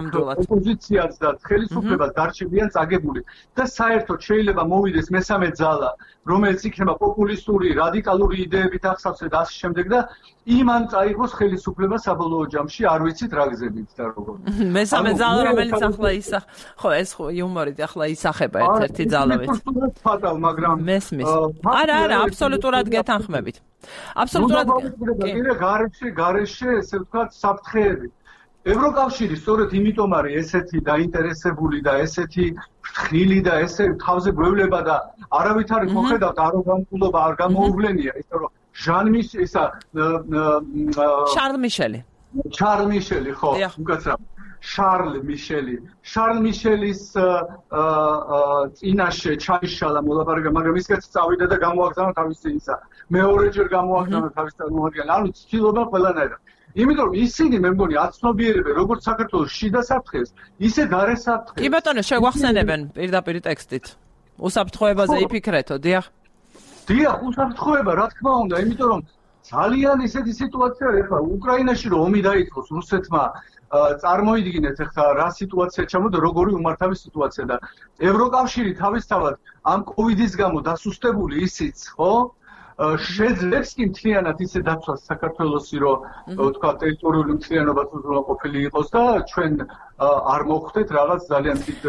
ოპოზიციაც და ხელისუფლებას დარჩებიან წაგებული და საერთოდ შეიძლება მოვიდეს მესამე ძალა რომელიც იქნება პოპულისტური რადიკალური იდეებით ახსავსე და ასე შემდეგ და იმან წაიღოს ხელისუფლება საბოლოო ჯამში არ ვიცით რა გზებით და როგორ მესამე ძალა რომელიც ახლა ხო ეს ხო იუმორით ახლა ისახება ერთ-ერთი ძალავით მაგრამ მესმის არა აბსოლუტურად გეთანხმებით აბსოლუტურად გარეშე ესე ვთქვათ საფრთხეები ევროკავშირი სწორედ იმიტომ არის ესეთი დაინტერესებული და ესეთი ფრთხილი და ესე თავზე გვევლება და არავითარი მოხედავთ აროგანტულობა არ გამოუვლენია ისე რომ ჟანმის ისა შარლ მიშელი ხო უკაცრავ შარლ მიშელის წინაშე ჩაიშალა მოლაპარაკება მაგრამ ისიც წავიდა და გამოაგზავნა თავისი ისა მეორეჯერ გამოაგზავნა თავის წარმომადგენელი ანუ ცდილობა ყველანაირად იმიტომ რომ ისინი მე მგონი აცნობიერებენ როგორც საქართველოს შიდა საფრთხეს ისე გარე საფრთხეს კი ბატონო შეგვახსენებენ პირდაპირ ტექსტით უსაფრთხოებაზე იფიქრეთო დიახ უსაფრთხოება რა თქმა უნდა იმიტომ რომ ძალიან ისეთი სიტუაცია არის ახლა უკრაინაში რომ ომი დაიწყოს რუსეთმა წარმოიდგინეთ ახლა რა სიტუაცია ჩამოდა როგორი უმართავი სიტუაცია და ევროკავშირი თავისთავად ამ კოვიდის გამო დასუსტებული ისიც ხო შეძლებს კი მთლიანად ისე დაცვას საქართველოსი რომ თქვა ტერიტორიული მთლიანობა უზრუნველყოფილი იყოს და ჩვენ არ მოხვდეთ რაღაც ძალიან დიდ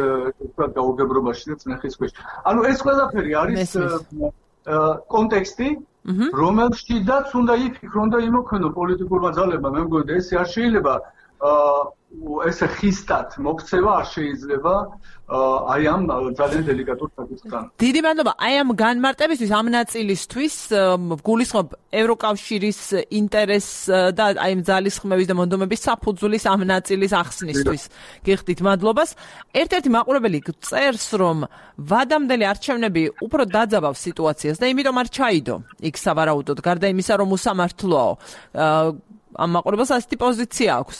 თქვა გაუგებრობაში და წნეხის ქვეშ. ანუ ეს ყველაფერი არის კონტექსტი რომელშიდაც უნდა იფიქრონ და იმოქმედონ პოლიტიკურმა ძალებმა მე მგონი ეს არ შეიძლება ესე ხისტად მოქცევა არ შეიძლება აი ამ ძალიან დელიკატურ საკითხთან. დიდი მადლობა. აი ამ განმარტებისთვის ამ ნაწილისთვის გულისხმობ ევროკავშირის ინტერესს და აი ამ ძალისხმევის და მონდომების საფუძვლის ამ ნაწილის ახსნისთვის. გიხდით მადლობას. ერთ-ერთი მაყურებელი წერს რომ ვადამდელი არჩევნები უფრო დაძაბავს სიტუაციას და იმიტომ არ ჩაიდო იქ სავარაუდოდ გარდა იმისა რომ უსამართლოა. ამ მაყურებელს ასეთი პოზიცია აქვს.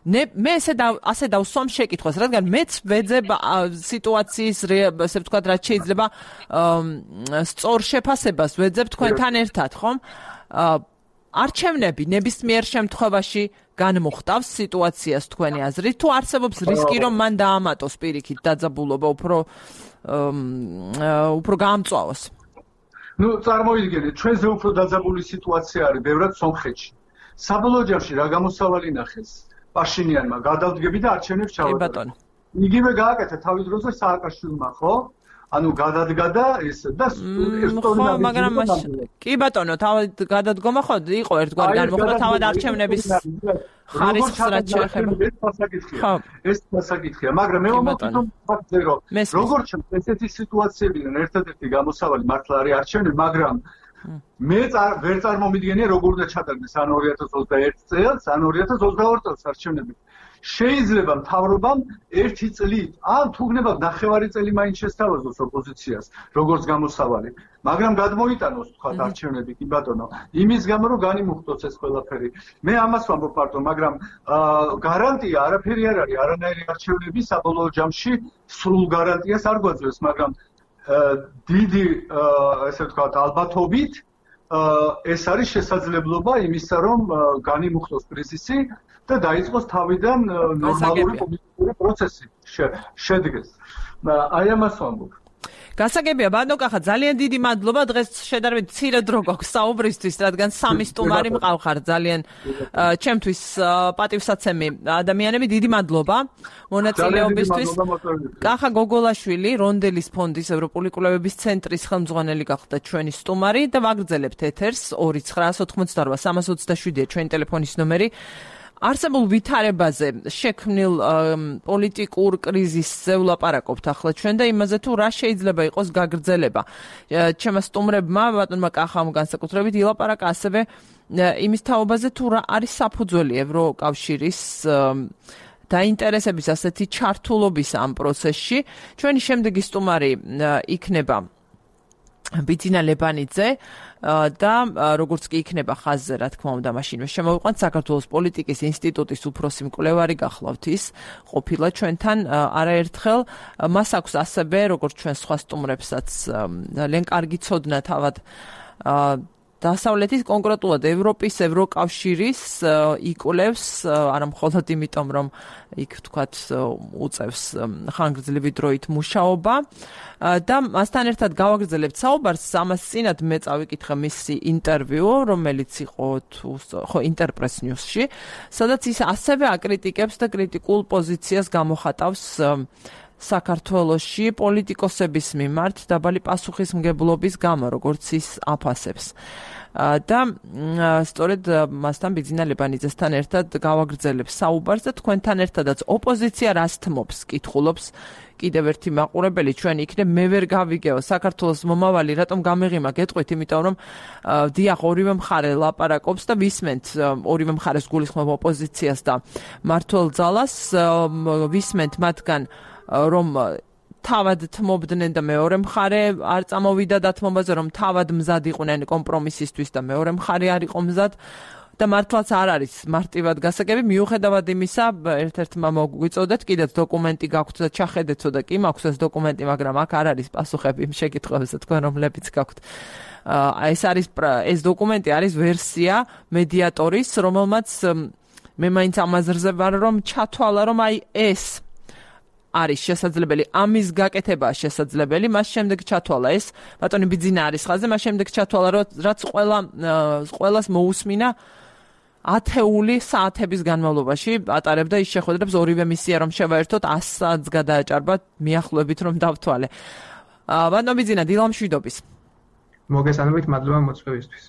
მე ასე დავსვამ შეკითხვას, რადგან მეც ვეძებ სიტუაციის ესე ვთქვათ, რაც შეიძლება სწორ შეფასებას ვეძებ თქვენთან ერთად, ხომ? არჩევნები ნებისმიერ შემთხვევაში განმოხტავს სიტუაციას თქვენი აზრით, თუ არსებობს რისკი, რომ მან დაამატოს პირიქით დაძაბულობა უფრო გაამწვავოს? ნუ წარმოიდგინეთ, ჩვენზე უფრო დაძაბული სიტუაცია არის ბევრად სომხეთში. საბოლოო ჯამში რა გამოსავალი ნახეს? პაშინიანმა გადავდგები და არჩევნებს ჩავატარებ. იგივე გააკეთა თავის დროზე სააკაშვილმა, ხო? ანუ გადადგა და ეს და მაგრამ კი ბატონო, თავად გადადგომა ხო იყო ერთგვარი განმოხდა თავად არჩევნების ხარისხს რაც შეეხება. ეს დასაკითხია, მაგრამ მე ვამბობ ფაქტზე რომ როგორც ესეთი სიტუაციებიდან ერთადერთი გამოსავალი მართლა არის არჩევნები, მაგრამ მე ვერ წარმომიდგენია როგორ უნდა ჩატარდეს ან 2021 წელს, ან 2022 წელს არჩევნები. შეიძლება მთავრობამ 1 წლით, ან თუ გნება 9 წელი მაინც შესთავაზოს ოპოზიციას, როგორც გამოსავალი. მაგრამ გადმოიტანოს თქვა არჩევნები, კი ბატონო, იმის გამო რომ განიმუხტოს ეს ყველაფერი. მე ამას ვამბობ პარტო, მაგრამ გარანტია არაფერი არ არის, არანაირი არჩევნები საბოლოო ჯამში სრულ გარანტიას არ გვაძლევს, მაგრამ დიდი ესე ვთქვათ ალბათობით ეს არის შესაძლებლობა იმისა, რომ განიმუხტოს კრიზისი და დაიწყოს თავიდან ნორმალური პოლიტიკური პროცესი შედგეს. აი ამას ვამბობ. გასაგებია, ბატონო კახა, ძალიან დიდი მადლობა. დღეს შედარებით მცირე დრო გვაქვს საუბრისთვის, რადგან 3 სტუმარი მყავხარ ძალიან ჩემთვის პატივსაცემი ადამიანები. დიდი მადლობა მონაწილეობისთვის. კახა გოგოლაშვილი, რონდელის ფონდის ევროპული კვლევების ცენტრის ხელმძღვანელი გახდა ჩვენი სტუმარი და ვაგრძელებთ ეთერს 2988 327-ია ჩვენი ტელეფონის ნომერი. არსებულ ვითარებაზე შექმნილ პოლიტიკურ კრიზისზე ვლაპარაკობთ ახლა ჩვენ და იმაზე თუ რა შეიძლება იყოს გაგრძელება. ჩემმა სტუმრებმა, ბატონმა კახამ განსაკუთრებით ილაპარაკა ასევე იმის თაობაზე თუ რა არის საფუძველი ევროკავშირის დაინტერესების ასეთი ჩართულობის ამ პროცესში. ჩვენი შემდეგი სტუმარი იქნება ბიძინა ლებანიძე და როგორც კი იქნება ხაზზე, რა თქმა უნდა, მაშინვე შემოვიყვანთ საქართველოს პოლიტიკის ინსტიტუტის უფროსი მკვლევარი გახლავთ ის ყოფილა ჩვენთან არაერთხელ. მას აქვს ასევე, როგორც ჩვენ სხვა სტუმრებსაც, ძალიან კარგი ცოდნა თავად დასავლეთის, კონკრეტულად ევროპის, ევროკავშირის იკვლევს, არა მხოლოდ იმიტომ, რომ იქ თქვათ უწევს ხანგრძლივი დროით მუშაობა და მასთან ერთად გავაგრძელებთ საუბარს. ამას წინათ მე წავიკითხე მისი ინტერვიუ, რომელიც იყო ინტერპრეს ნიუსში, სადაც ის ასევე აკრიტიკებს და კრიტიკულ პოზიციას გამოხატავს საქართველოში პოლიტიკოსების მიმართ დაბალი პასუხისმგებლობის გამო, როგორც ის აფასებს. და სწორედ მასთან ბიძინა ლებანიძესთან ერთად გავაგრძელებ საუბარს და თქვენთან ერთადაც ოპოზიცია რას თმობს, კითხულობს კიდევ ერთი მაყურებელი ჩვენ იქნებ მე ვერ გავიგეო საქართველოს მომავალი რატომ გამეღიმა გეტყვით, იმიტომ რომ დიახ ორივე მხარე ლაპარაკობს და ვისმენთ ორივე მხარეს გულისხმობ ოპოზიციას და მმართველ ძალას, ვისმენთ მათგან რომ თავად თმობდნენ და მეორე მხარე არ წამოვიდა დათმობაზე, რომ თავად მზად იყვნენ კომპრომისისთვის და მეორე მხარე არ იყო მზად და მართლაც არ არის მარტივად გასაგები. მიუხედავად იმისა, ერთ-ერთმა მოგვიწოდეთ, კიდეც დოკუმენტი გაქვთ და ჩახედეთო და კი მაქვს ეს დოკუმენტი, მაგრამ აქ არ არის პასუხები იმ შეკითხვებზე თქვენ რომლებიც გაქვთ. ეს დოკუმენტი არის ვერსია მედიატორის, რომელმაც მე მაინც ამაზრზე ვარ, რომ ჩათვალა, რომ აი ეს არის შესაძლებელი, ამის გაკეთება შესაძლებელი, მას შემდეგ ჩათვალა ეს, ბატონი ბიძინა არის ხაზზე, მას შემდეგ ჩათვალა, რაც ყველას მოусმინა ათეული საათების განმავლობაში ატარებდა ის შეხვედრებს, ორივე მისია რომ შევაერთოთ 100 საათს გადააჭარბა, მიახლოებით რომ დავთვალე. ბატონო ბიძინა, დილამშვიდობის. მოგესალმებით, მადლობა მოწვევისთვის.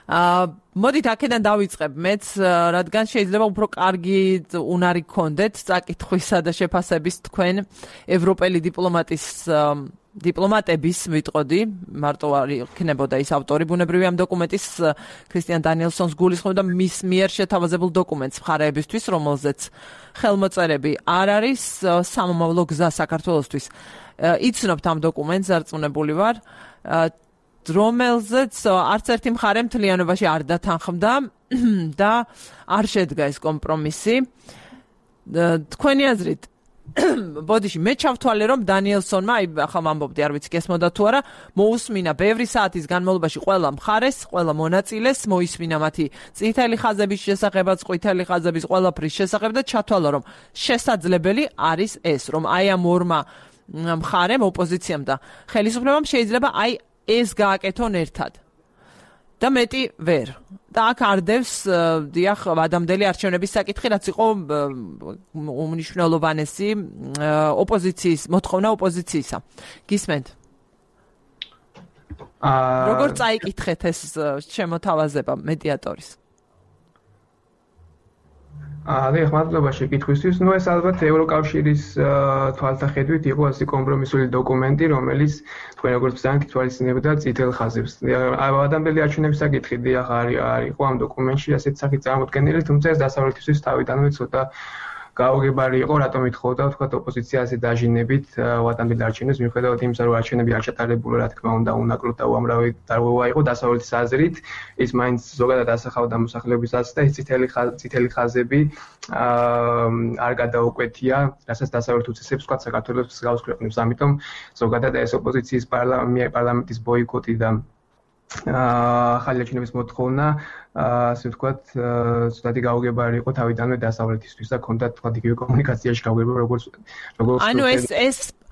მოდით აქედან დავიწყებ მეც, რადგან შეიძლება უფრო კარგი უნარი გქონდეთ წაკითხვისა და შეფასების თქვენ ევროპელი დიპლომატების ვიტყოდი, მარტო არ იქნებოდა ის ავტორი ბუნებრივი ამ დოკუმენტის ქრისტიან დანიელსონს გულისხმობ და მის მიერ შეთავაზებულ დოკუმენტს მხარეებისთვის, რომელზეც ხელმოწერები არ არის, სამომავლო გზა საქართველოსთვის. იცნობთ ამ დოკუმენტს, დარწმუნებული ვარ, რომელზეც არც ერთი მხარე მთლიანობაში არ დათანხმდა და არ შედგა ეს კომპრომისი. თქვენი აზრით, ბოდიში, მე ჩავთვალე, რომ დანიელსონმა, ახლა ვამბობდი, არ ვიცი გესმოდა თუ არა, მოусმინა ბევრი საათის განმავლობაში ყველა მხარეს, ყველა მონაწილეს, მოისმინა მათი წითელი ხაზების შესახებაც, ყვითელი ხაზების ყველაფრის შესახებ და ჩათვალა, რომ შესაძლებელი არის ეს, რომ აი ამ ორმა მხარემ, ოპოზიციამ და ხელისუფლებამ შეიძლება აი ეს გააკეთონ ერთად. და მეტი ვერ. და აქ არდევს დიახ ადამიანელი არჩევნების საკითხი, რაც იყო უმნიშვნელოვანესი ოპოზიციის, მოთხოვნა ოპოზიციისა. გისმენთ? როგორ წაიკითხეთ ეს შემოთავაზება მედიატორის? მადლობა შეკითხვისთვის. ეს ალბათ ევროკავშირის თვალსაჩინით იყო ასე კომპრომისული დოკუმენტი, რომელიც თქვენ როგორც ბრძანეთ თვალისწინებდა წითელ ხაზებს. ადამიანელი არჩევნების საკითხი დიახ არ იყო ამ დოკუმენტში ასეთ სახით წარმოდგენილი, თუმცა ეს დასავლეთისთვის თავიდანვე ცოტა გაუგებარი იყო, რატომ ითხოვდა თქვათ ოპოზიცია ასე დაჟინებით ადამიანელი არჩევნებს, მიუხედავად იმისა, რომ არჩევნები არ ჩატარებულა, რა თქმა უნდა, უნაკლოდ და უამრავი დარღვევა იყო დასავლეთის აზრით, ის მაინც ზოგადად ასახავდა მოსახლეობის აზრს და ეს წითელი ხაზები არ გადაუკვეთია, რასაც დასავლეთ უწესებს თქვათ საქართველოს მსგავს ქვეყნებს. ამიტომ ზოგადად ეს ოპოზიციის პარლამენტის ბოიკოტი და ახალი არჩევნების მოთხოვნა ასე ვთქვათ, ცოტათი გაუგებარი იყო თავიდანვე დასავლეთისთვის და ჰქონდათ თქვათ იგივე კომუნიკაციაში გაუგებარი როგორც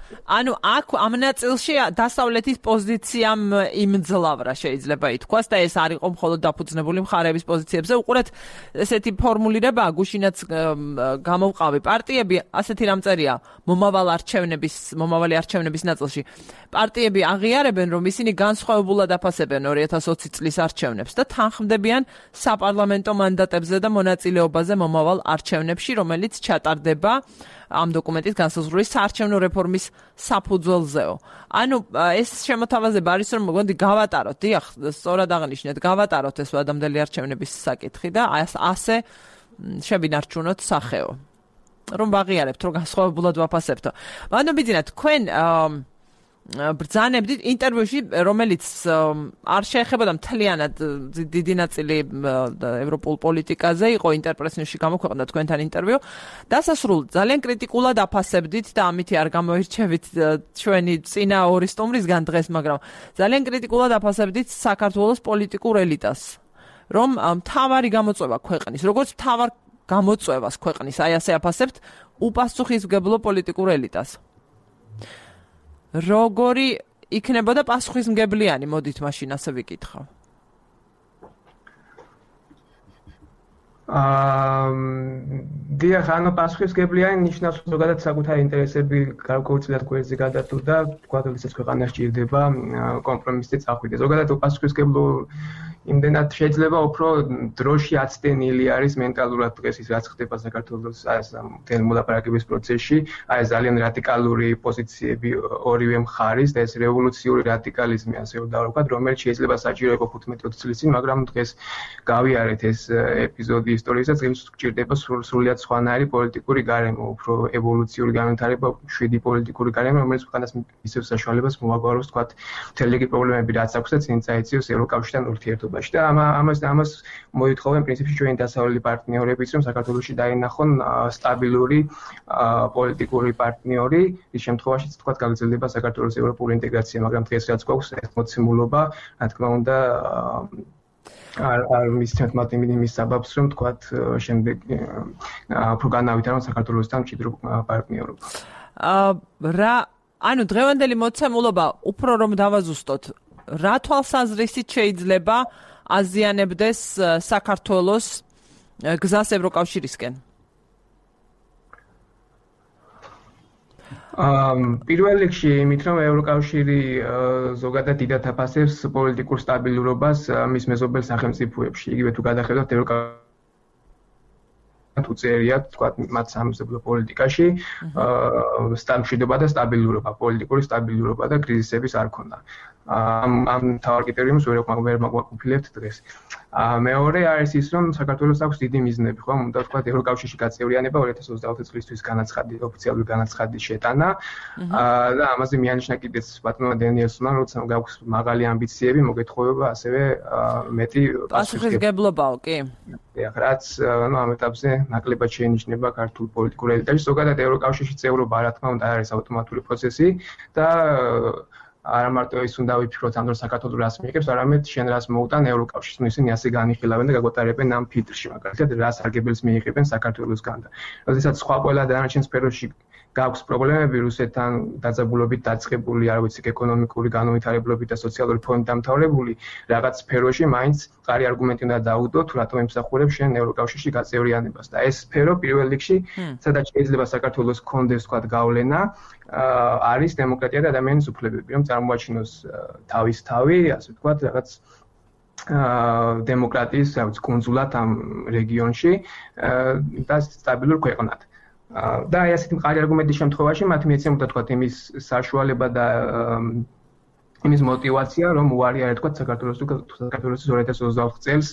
ანუ აქ ამ ნაწილში დასავლეთის პოზიციამ იმძლავრა შეიძლება ითქვას და ეს არ იყო მხოლოდ დაფუძნებული მხარეების პოზიციებზე. უყურეთ, ესეთი ფორმულირებაა, გუშინაც გამოვყავი. პარტიები ასეთი რამწერია მომავალი არჩევნების ნაწილში. პარტიები აღიარებენ, რომ ისინი განსხვავებულად აფასებენ 2020 წლის არჩევნებს და თანხმდებიან საპარლამენტო მანდატებზე და მონაწილეობაზე მომავალ არჩევნებში, რომელიც ჩატარდება ამ დოკუმენტის განსაზღვრული საარჩევნო რეფორმის საფუძველზეო. ანუ ეს შემოთავაზება არის, რომ მოგონდი გავატაროთ, დიახ, სწორად აღნიშნეთ, გავატაროთ ეს ადამიანელი არჩევნების საკითხი და ასე შევინარჩუნოთ სახეო. რომ ვაღიარებთ, რომ განსხვავებულად ვაფასებთო. ანუ ბიძინა, თქვენ ბრძანებდით ინტერვიუში, რომელიც არ შეეხებოდა მთლიანად დიდი ნაწილი ევროპულ პოლიტიკაზე, იყო ინტერპრესნიუსში გამოქვეყნდა თქვენთან ინტერვიუ. დასასრულს ძალიან კრიტიკულად აფასებდით და ამითი არ გამოირჩევით ჩვენი წინა ორი სტუმრისგან დღეს, მაგრამ ძალიან კრიტიკულად აფასებდით საქართველოს პოლიტიკურ ელიტას, რომ მთავარი გამოწვევა ქვეყნის, როგორც მთავარ გამოწვევას ქვეყნის, აი ასე აფასებთ უპასუხისმგებლო პოლიტიკურ ელიტას. როგორი იქნებოდა პასუხისმგებლიანი, მოდით მაშინ ასე ვიკითხავ. დიახ, ანუ პასუხისმგებლიანი ნიშნავს ზოგადად საკუთარი ინტერესები გარკვეულწილად გვერდზე გადადო და თქვა, როდესაც ქვეყანა სჭირდება კომპრომისზე წახვიდე. ზოგადად პასუხისმგებლო იმდენად შეიძლება უფრო დროში აცდენილი არის მენტალურად დღეს ის რაც ხდება საქართველოს მთელ მოლაპარაკების პროცესში, აი ძალიან რადიკალური პოზიციები ორივე მხარის და ეს რევოლუციური რადიკალიზმი ასე ვთქვათ, რომელიც შეიძლება საჭირო იყო 15-20 წლის წინ, მაგრამ დღეს გავიარეთ ეს ეპიზოდი ისტორიისას, დღეს გვჭირდება სრულიად სხვანაირი პოლიტიკური გარემო, უფრო ევოლუციური განვითარება, შვიდი პოლიტიკური გარემო, რომელიც ქვეყანას ისევ საშუალებას მოაგვაროს, ვთქვათ, მთელი რიგი პრობლემები რაც აქვს და წინ წაეციოს ევროკავშირთან ურთიერთობა. და ამას მოითხოვენ პრინციპში ჩვენი დასავლელი პარტნიორებიც, რომ საქართველოში დაინახონ სტაბილური პოლიტიკური პარტნიორი, ის შემთხვევაშიც თქვათ გაგრძელდება საქართველოს ევროპული ინტეგრაცია, მაგრამ დღეს რაც გვაქვს ეს მოცემულობა, რა თქმა უნდა, არ მისცემთ მათ იმის საბაბს, რომ თქვათ შემდეგ უფრო განავითარონ საქართველოსთან მჭიდრო პარტნიორობა. ანუ დღევანდელი მოცემულობა უფრო რომ დავაზუსტოთ, რა თვალსაზრისით შეიძლება აზიანებდეს საქართველოს გზას ევროკავშირისკენ? პირველ რიგში იმით, რომ ევროკავშირი ზოგადად დიდად აფასებს პოლიტიკურ სტაბილურობას მის მეზობელ სახელმწიფოებში. იგივე თუ გადახედავთ ევროკავშირი უწერიათ, თქვათ, მათ სამეზობლო პოლიტიკაში მშვიდობა და სტაბილურობა, პოლიტიკური სტაბილურობა და კრიზისების არ ქონდა. ამ თავარ კრიტერიუმს ვერ მაგვაყოფილებთ დღეს. მეორე არის ის, რომ საქართველოს აქვს დიდი მიზნები, ხო, უნდა ვთქვათ, ევროკავშირში გაწევრიანება 2024 წლისთვის ოფიციალური განაცხადი შეტანა და ამაზე მიანიშნა კიდეც ბატონმა დენიელსონმა, როცა გაქვს მაღალი ამბიციები, მოგეთხოვება ასევე მეტი პასუხისმგებლობაო, კი. რაც ამ ეტაპზე ნაკლებად შეინიშნება ქართულ პოლიტიკურ ელიტაში. ზოგადად ევროკავშირში წევრობა, რა თქმა უნდა, არის ავტომატური პროცესი და არა მარტო ის უნდა ვიფიქროთ ამ დროს საქართველოს რას მიიღებს, არამედ შენ რას მოუტან ევროკავშირს. ნუ ისინი ასე განიხილავენ და გაგვატარებენ ამ ფილტრში, მაგალითად, რას არგებელს მიიღებენ საქართველოსგან და როდესაც სხვა ყველა დანარჩენ სფეროში გაქვს პრობლემები რუსეთთან დაძაბულობით დაწყებული, არ ვიცი, ეკონომიკური განვითარებლობით და სოციალური ფონით დამთავრებული, რაღაც სფეროში მაინც მყარი არგუმენტი უნდა დაუდო, თუ რატომ ემსახურებს შენ ევროკავშირში გაწევრიანებას. და ეს სფერო პირველ რიგში, სადაც შეიძლება საქართველოს კონდეს, თქვათ, გავლენა, არის დემოკრატია და ადამიანის უფლებები, რომ წარმოაჩინოს თავის თავი, ასე ვთქვათ, რაღაც დემოკრატიის კუნძულად ამ რეგიონში და სტაბილურ ქვეყნად. და აი ასეთი მყარი არგუმენტის შემთხვევაში მათ მიეცემოდა თქვა იმის საშუალება და იმის мотиваცია რომ უარია თქვა საქართველოს 2024 წელს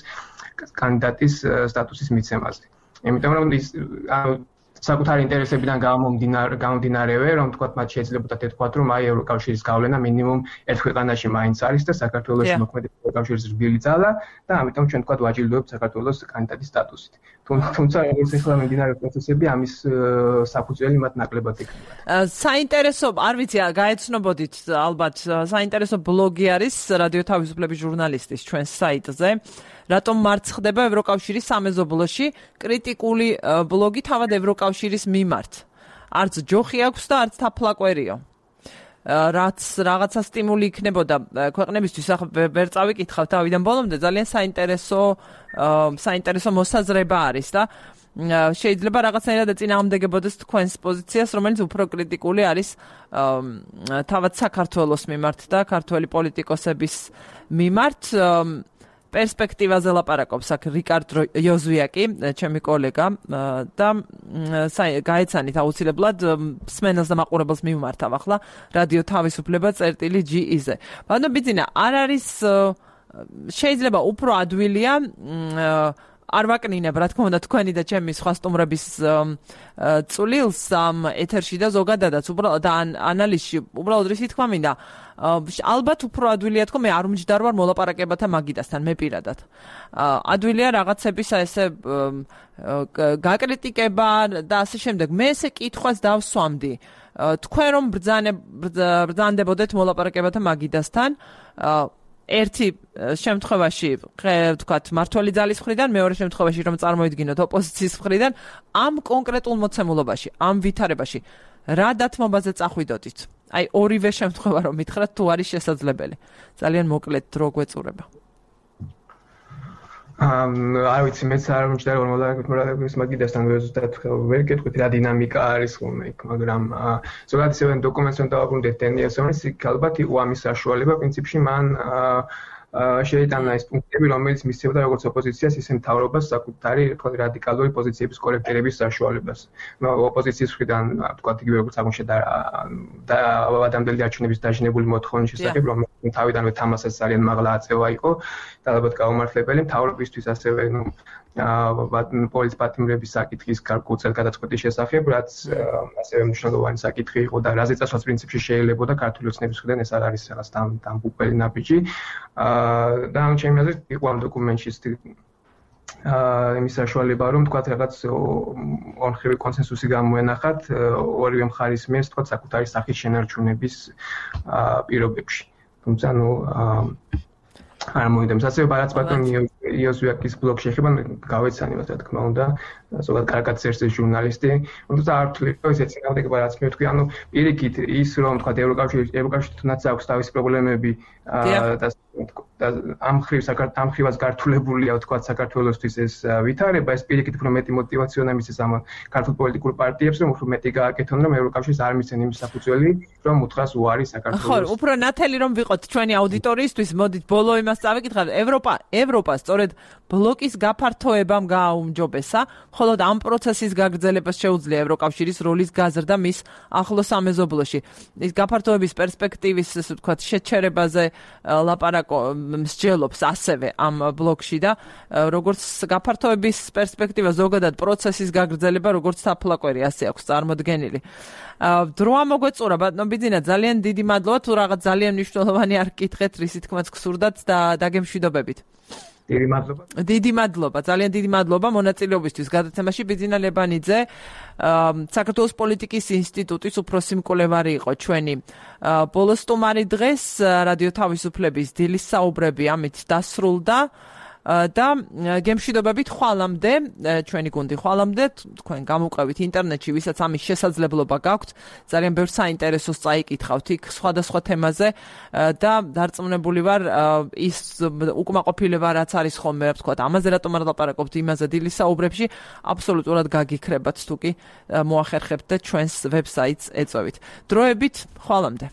კანდიდატის სტატუსის მიცემაზე. იმიტომ რომ ის საკუთარი ინტერესებიდან გამომდინარევე რომ თქვა მათ შეიძლებოდა ეთქვათ რომ აი ევროკავშირის გავლენა მინიმუმ ერთ ქვეყანაში მაინც არის და საქართველოში მოქმედი ევროკავშირის რბილი ძალა და ამიტომ ჩვენ თქვა ვაჯილდოებთ საქართველოს კანდიდატის სტატუსით. თუმცა როგორც ახლა მიმდინარე პროცესები ამის საფუძველი მათ ნაკლებად იქნება. საინტერესო, არ ვიცი, გაეცნობოდით ალბათ, საინტერესო ბლოგი არის რადიო თავისუფლების ჟურნალისტის ჩვენს საიტზე. რატომ მარცხდება ევროკავშირის სამეზობლოში კრიტიკული ბლოგი თავად ევროკავშირის მიმართ. არც ჯოხი აქვს და არც თაფლაკვერიო. რაც რაღაცა სტიმული იქნებოდა ქვეყნებისთვის, ახლა ვერ წავიკითხავ თავიდან ბოლომდე, ძალიან საინტერესო მოსაზრება არის და შეიძლება რაღაცნაირად ეწინააღმდეგებოდეს თქვენს პოზიციას, რომელიც უფრო კრიტიკული არის თავად საქართველოს მიმართ და ქართველი პოლიტიკოსების მიმართ. პერსპექტივაზე ლაპარაკობს აქ რიკარდ იოზვიაკი, ჩემი კოლეგა და გაეცანით აუცილებლად სმენელს და მაყურებელს მიმართავ ახლა რადიო თავისუფლება წერტილი.ge-ზე. ბატონო ბიძინა, არ არის შეიძლება უფრო ადვილია არ ვაკნინებ, რა თქმა უნდა, თქვენი და ჩემი სხვა სტუმრების წვლილს ამ ეთერში და ზოგადადაც უბრალოდ ანალიზში, უბრალოდ რისი თქვა მინდა, ალბათ უფრო ადვილია თქო, მე არ უმჯდარ ვარ მოლაპარაკებათა მაგიდასთან, მე პირადად. ადვილია რაღაცების ესე გაკრიტიკება და ასე შემდეგ. მე ესე კითხვას დავსვამდი. თქვენ რომ ბრძანდებოდეთ მოლაპარაკებათა მაგიდასთან, ერთი შემთხვევაში, ვთქვათ, მართველი ძალის მხრიდან, მეორე შემთხვევაში რომ წარმოიდგინოთ ოპოზიციის მხრიდან, ამ კონკრეტულ მოცემულობაში, ამ ვითარებაში, რა დათმობაზე წახვიდოდით? აი, ორივე შემთხვევა რომ მითხრათ, თუ არის შესაძლებელი. ძალიან მოკლედ დრო გვეწურება. არ ვიცი, მეც არ მომჭირდა რომ მოლაპარაკების მაგიდასთან ვერ გეტყვით რა დინამიკა არის ხოლმე იქ, მაგრამ ზოგადად ისევ დოკუმენტს რომ დავაბრუნდეთ დენიელს, ის ალბათ იყო ამის საშუალება, პრინციპში მან შეიტანა ის პუნქტები, რომელიც მისცემდა როგორც ოპოზიციას, ისე მთავრობას საკუთარი რადიკალური პოზიციების კორექტირების საშუალებას. ოპოზიციის მხრიდან, ვთქვათ, იგივე როგორც აღმოჩნდა და ადამიანների არჩევნების დაჟინებული მოთხოვნის შესახებ, რომ თავიდანვე თამასას ძალიან მაღლა აწევა იყო და ალბათ გაუმართლებელი მთავრობისთვის ასევე პოლიტ პატიმრების საკითხის გარკვეულ გადაწყვეტის შესახებ, რაც ასევე მნიშვნელოვანი საკითხი იყო და რაზე წასვლაც პრინციპში შეიძლებოდა ქართული ოცნების მხრიდან ეს არ არის რაღაც დამბუყელი ნაბიჯი. და ამ ჩემი აზრით იყო ამ დოკუმენტში იმის საშუალება რომ თქვა რაღაც ორმხრივი კონსენსუსი გამოენახათ ორივე მხარის მიერ თქვა საკუთარი სახის შენარჩუნების პირობებში. თუმცა არ მოიდემს. ასევე ბარაც ბატონი იოზვიაკის ბლოგში ეხება გავეცანებათ, რა თქმა უნდა, ზოგადად კარგად წერს ჟურნალისტი. თუმცა არ ვთვლი, ეს ეცინააღმდეგება რაც მე ვთქვი, ანუ პირიქით ის რომ თქვა ევროკავშირი თუნდაც აქვს თავისი პრობლემები და ამ ხრივას გართულებულია თქვა საქართველოსთვის ეს ვითარება, ეს პირიქით უფრო მეტი мотиваციაა მისცეს ამ ქართულ პოლიტიკურ პარტიებს, რომ უფრო მეტი გააკეთონ, რომ ევროკავშირს არ მისცენ იმის საფუძველი, რომ უთხრას უარი საქართველოს. ხო, უფრო ნათელი რომ ვიყოთ ჩვენი აუდიტორიისთვის, მოდით ბოლო იმას წავიკითხავთ. ევროპა სწორედ ბლოკის გაფართოებამ გააუმჯობესა, ხოლო ამ პროცესის გაგრძელებას შეუძლია ევროკავშირის როლის გაზრდა მის ახლო სამეზობლოში. ის გაფართოების პერსპექტივის, ასე ვთქვათ, შეჩერებაზე მსჯელობს ასევე ამ ბლოკში და როგორც გაფართოების პერსპექტივა, ზოგადად პროცესის გაგრძელება, როგორც თაფლაკვერი, ასე აქვს წარმოდგენილი. დრო ამოგვეწურა, ბატონო ბიძინა, ძალიან დიდი მადლობა, თუ რაღაც ძალიან მნიშვნელოვანი არ გკითხეთ, რისი თქმაც გსურდათ და დაგემშვიდობებით. დიდი მადლობა, ძალიან დიდი მადლობა მონაწილეობისთვის გადაცემაში. ბიძინა ლებანიძე, საქართველოს პოლიტიკის ინსტიტუტის უფროსი მკვლევარი იყო ჩვენი ბოლო სტუმარი დღეს. რადიო თავისუფლების დილის საუბრები ამით დასრულდა და გემშვიდობებით ხვალამდე, ჩვენი გუნდი ხვალამდე, თქვენ გამოყვებით ინტერნეტში, ვისაც ამის შესაძლებლობა გაქვთ, ძალიან ბევრ საინტერესოს წაიკითხავთ იქ სხვადასხვა თემაზე და დარწმუნებული ვარ ის უკმაყოფილება რაც არის ხოლმე, რა ვთქვათ, ამაზე რატომ არ ლაპარაკობთ იმაზე დილის საუბრებში, აბსოლუტურად გაგიქრებათ თუ კი მოახერხებთ და ჩვენს ვებსაიტს ეწვევით. დროებით ხვალამდე.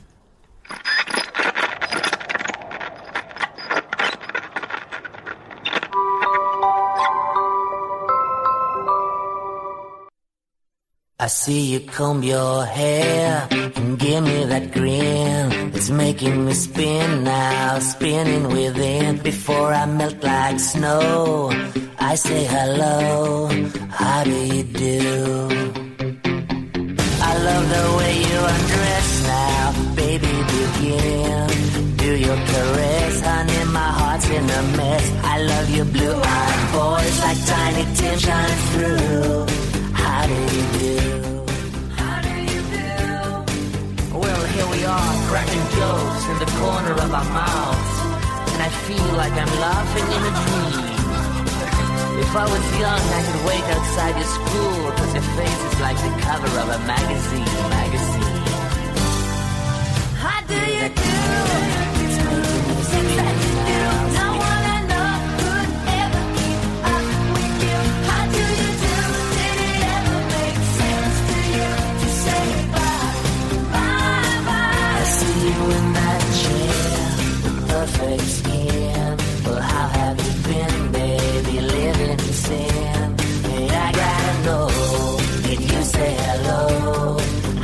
I see you comb your hair and give me that grin. It's making me spin now, spinning within. Before I melt like snow, I say hello, how do you do? I love the way you undress now, baby, begin. Do your caress, honey, my heart's in a mess. I love your blue-eyed voice like Tiny Tim shining through. How do you do? How do you do? Well, here we are, cracking jokes in the corner of our mouths, and I feel like I'm laughing in a dream. If I was young, I could wait outside your school, 'cause your face is like the cover of a magazine. How do you do? Things that you do, no one I know could ever keep up with you. How do you do? Did it ever make sense to you to say bye, bye, bye? I see you in that chair, the perfect skin. Well, how have you been, baby, living in sin? Hey, I gotta know, did you say hello?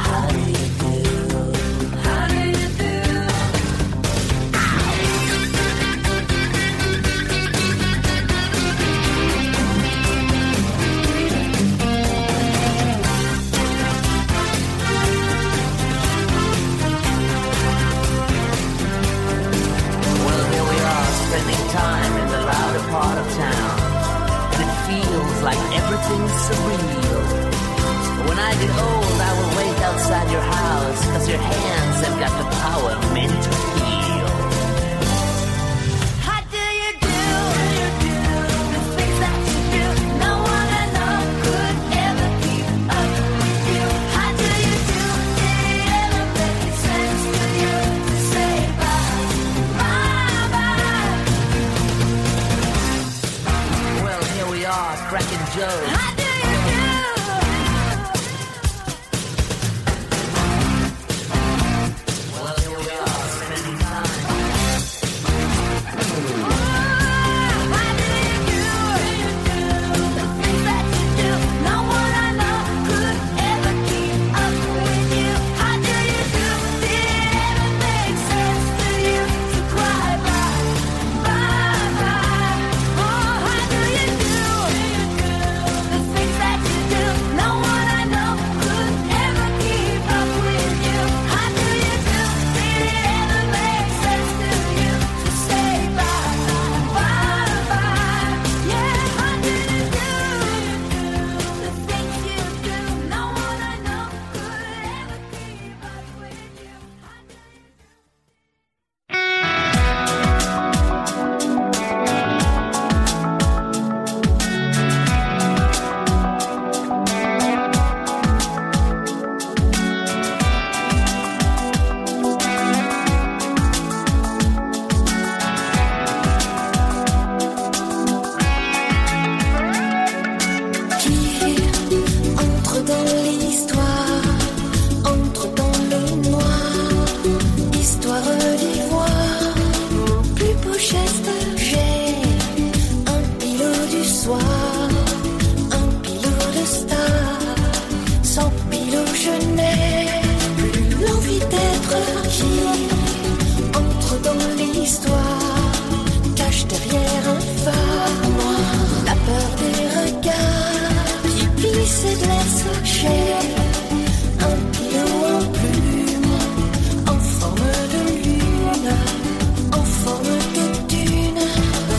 How do you do? How do you do? Well, here we are, spending time in the louder part of town, and it feels like everything's surreal. When I get old, I will wait outside your house, 'cause your hands have got the power meant to heal. How do you do? The things that you do, no one I know could ever keep up with you. How do you do? Did it ever make sense to you to say bye, bye, bye? Well, here we are, cracking jokes. How do you do? Well, here we are, spending time. How do you do? The things that you do, no one I know could ever keep up with you. How do you do? Did it ever make sense to you to cry bye, bye, bye? Oh, how do you do? The things that you do, no one I know could ever keep up with you. How do you do? Did it ever make sense to you to say bye, bye, bye? Yeah, how do you do? The things you do, no one I know could ever keep up with you. Entre dans l'histoire, entre dans le noir, histoire d'ivoire, mon plus beau geste, j'ai un pilot du soir, un pilot de star, sans pilot je n'ai plus l'envie d'être qui entre dans l'histoire, cache derrière un phare noir, la peur des regards qui glissent et blessent. J'ai un pilot en plume, en forme de lune, en forme de dune,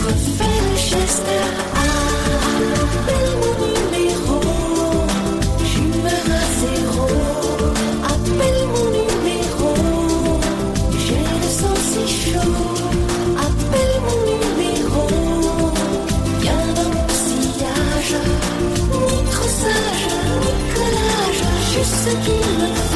refais le geste. Appelle mon numéro, j'humeur à zéro. Appelle mon numéro, j'ai le sang si chaud. Appelle mon numéro, viens dans mon sillage, ni trop sage, ni collage, juste ce qu'il me faut.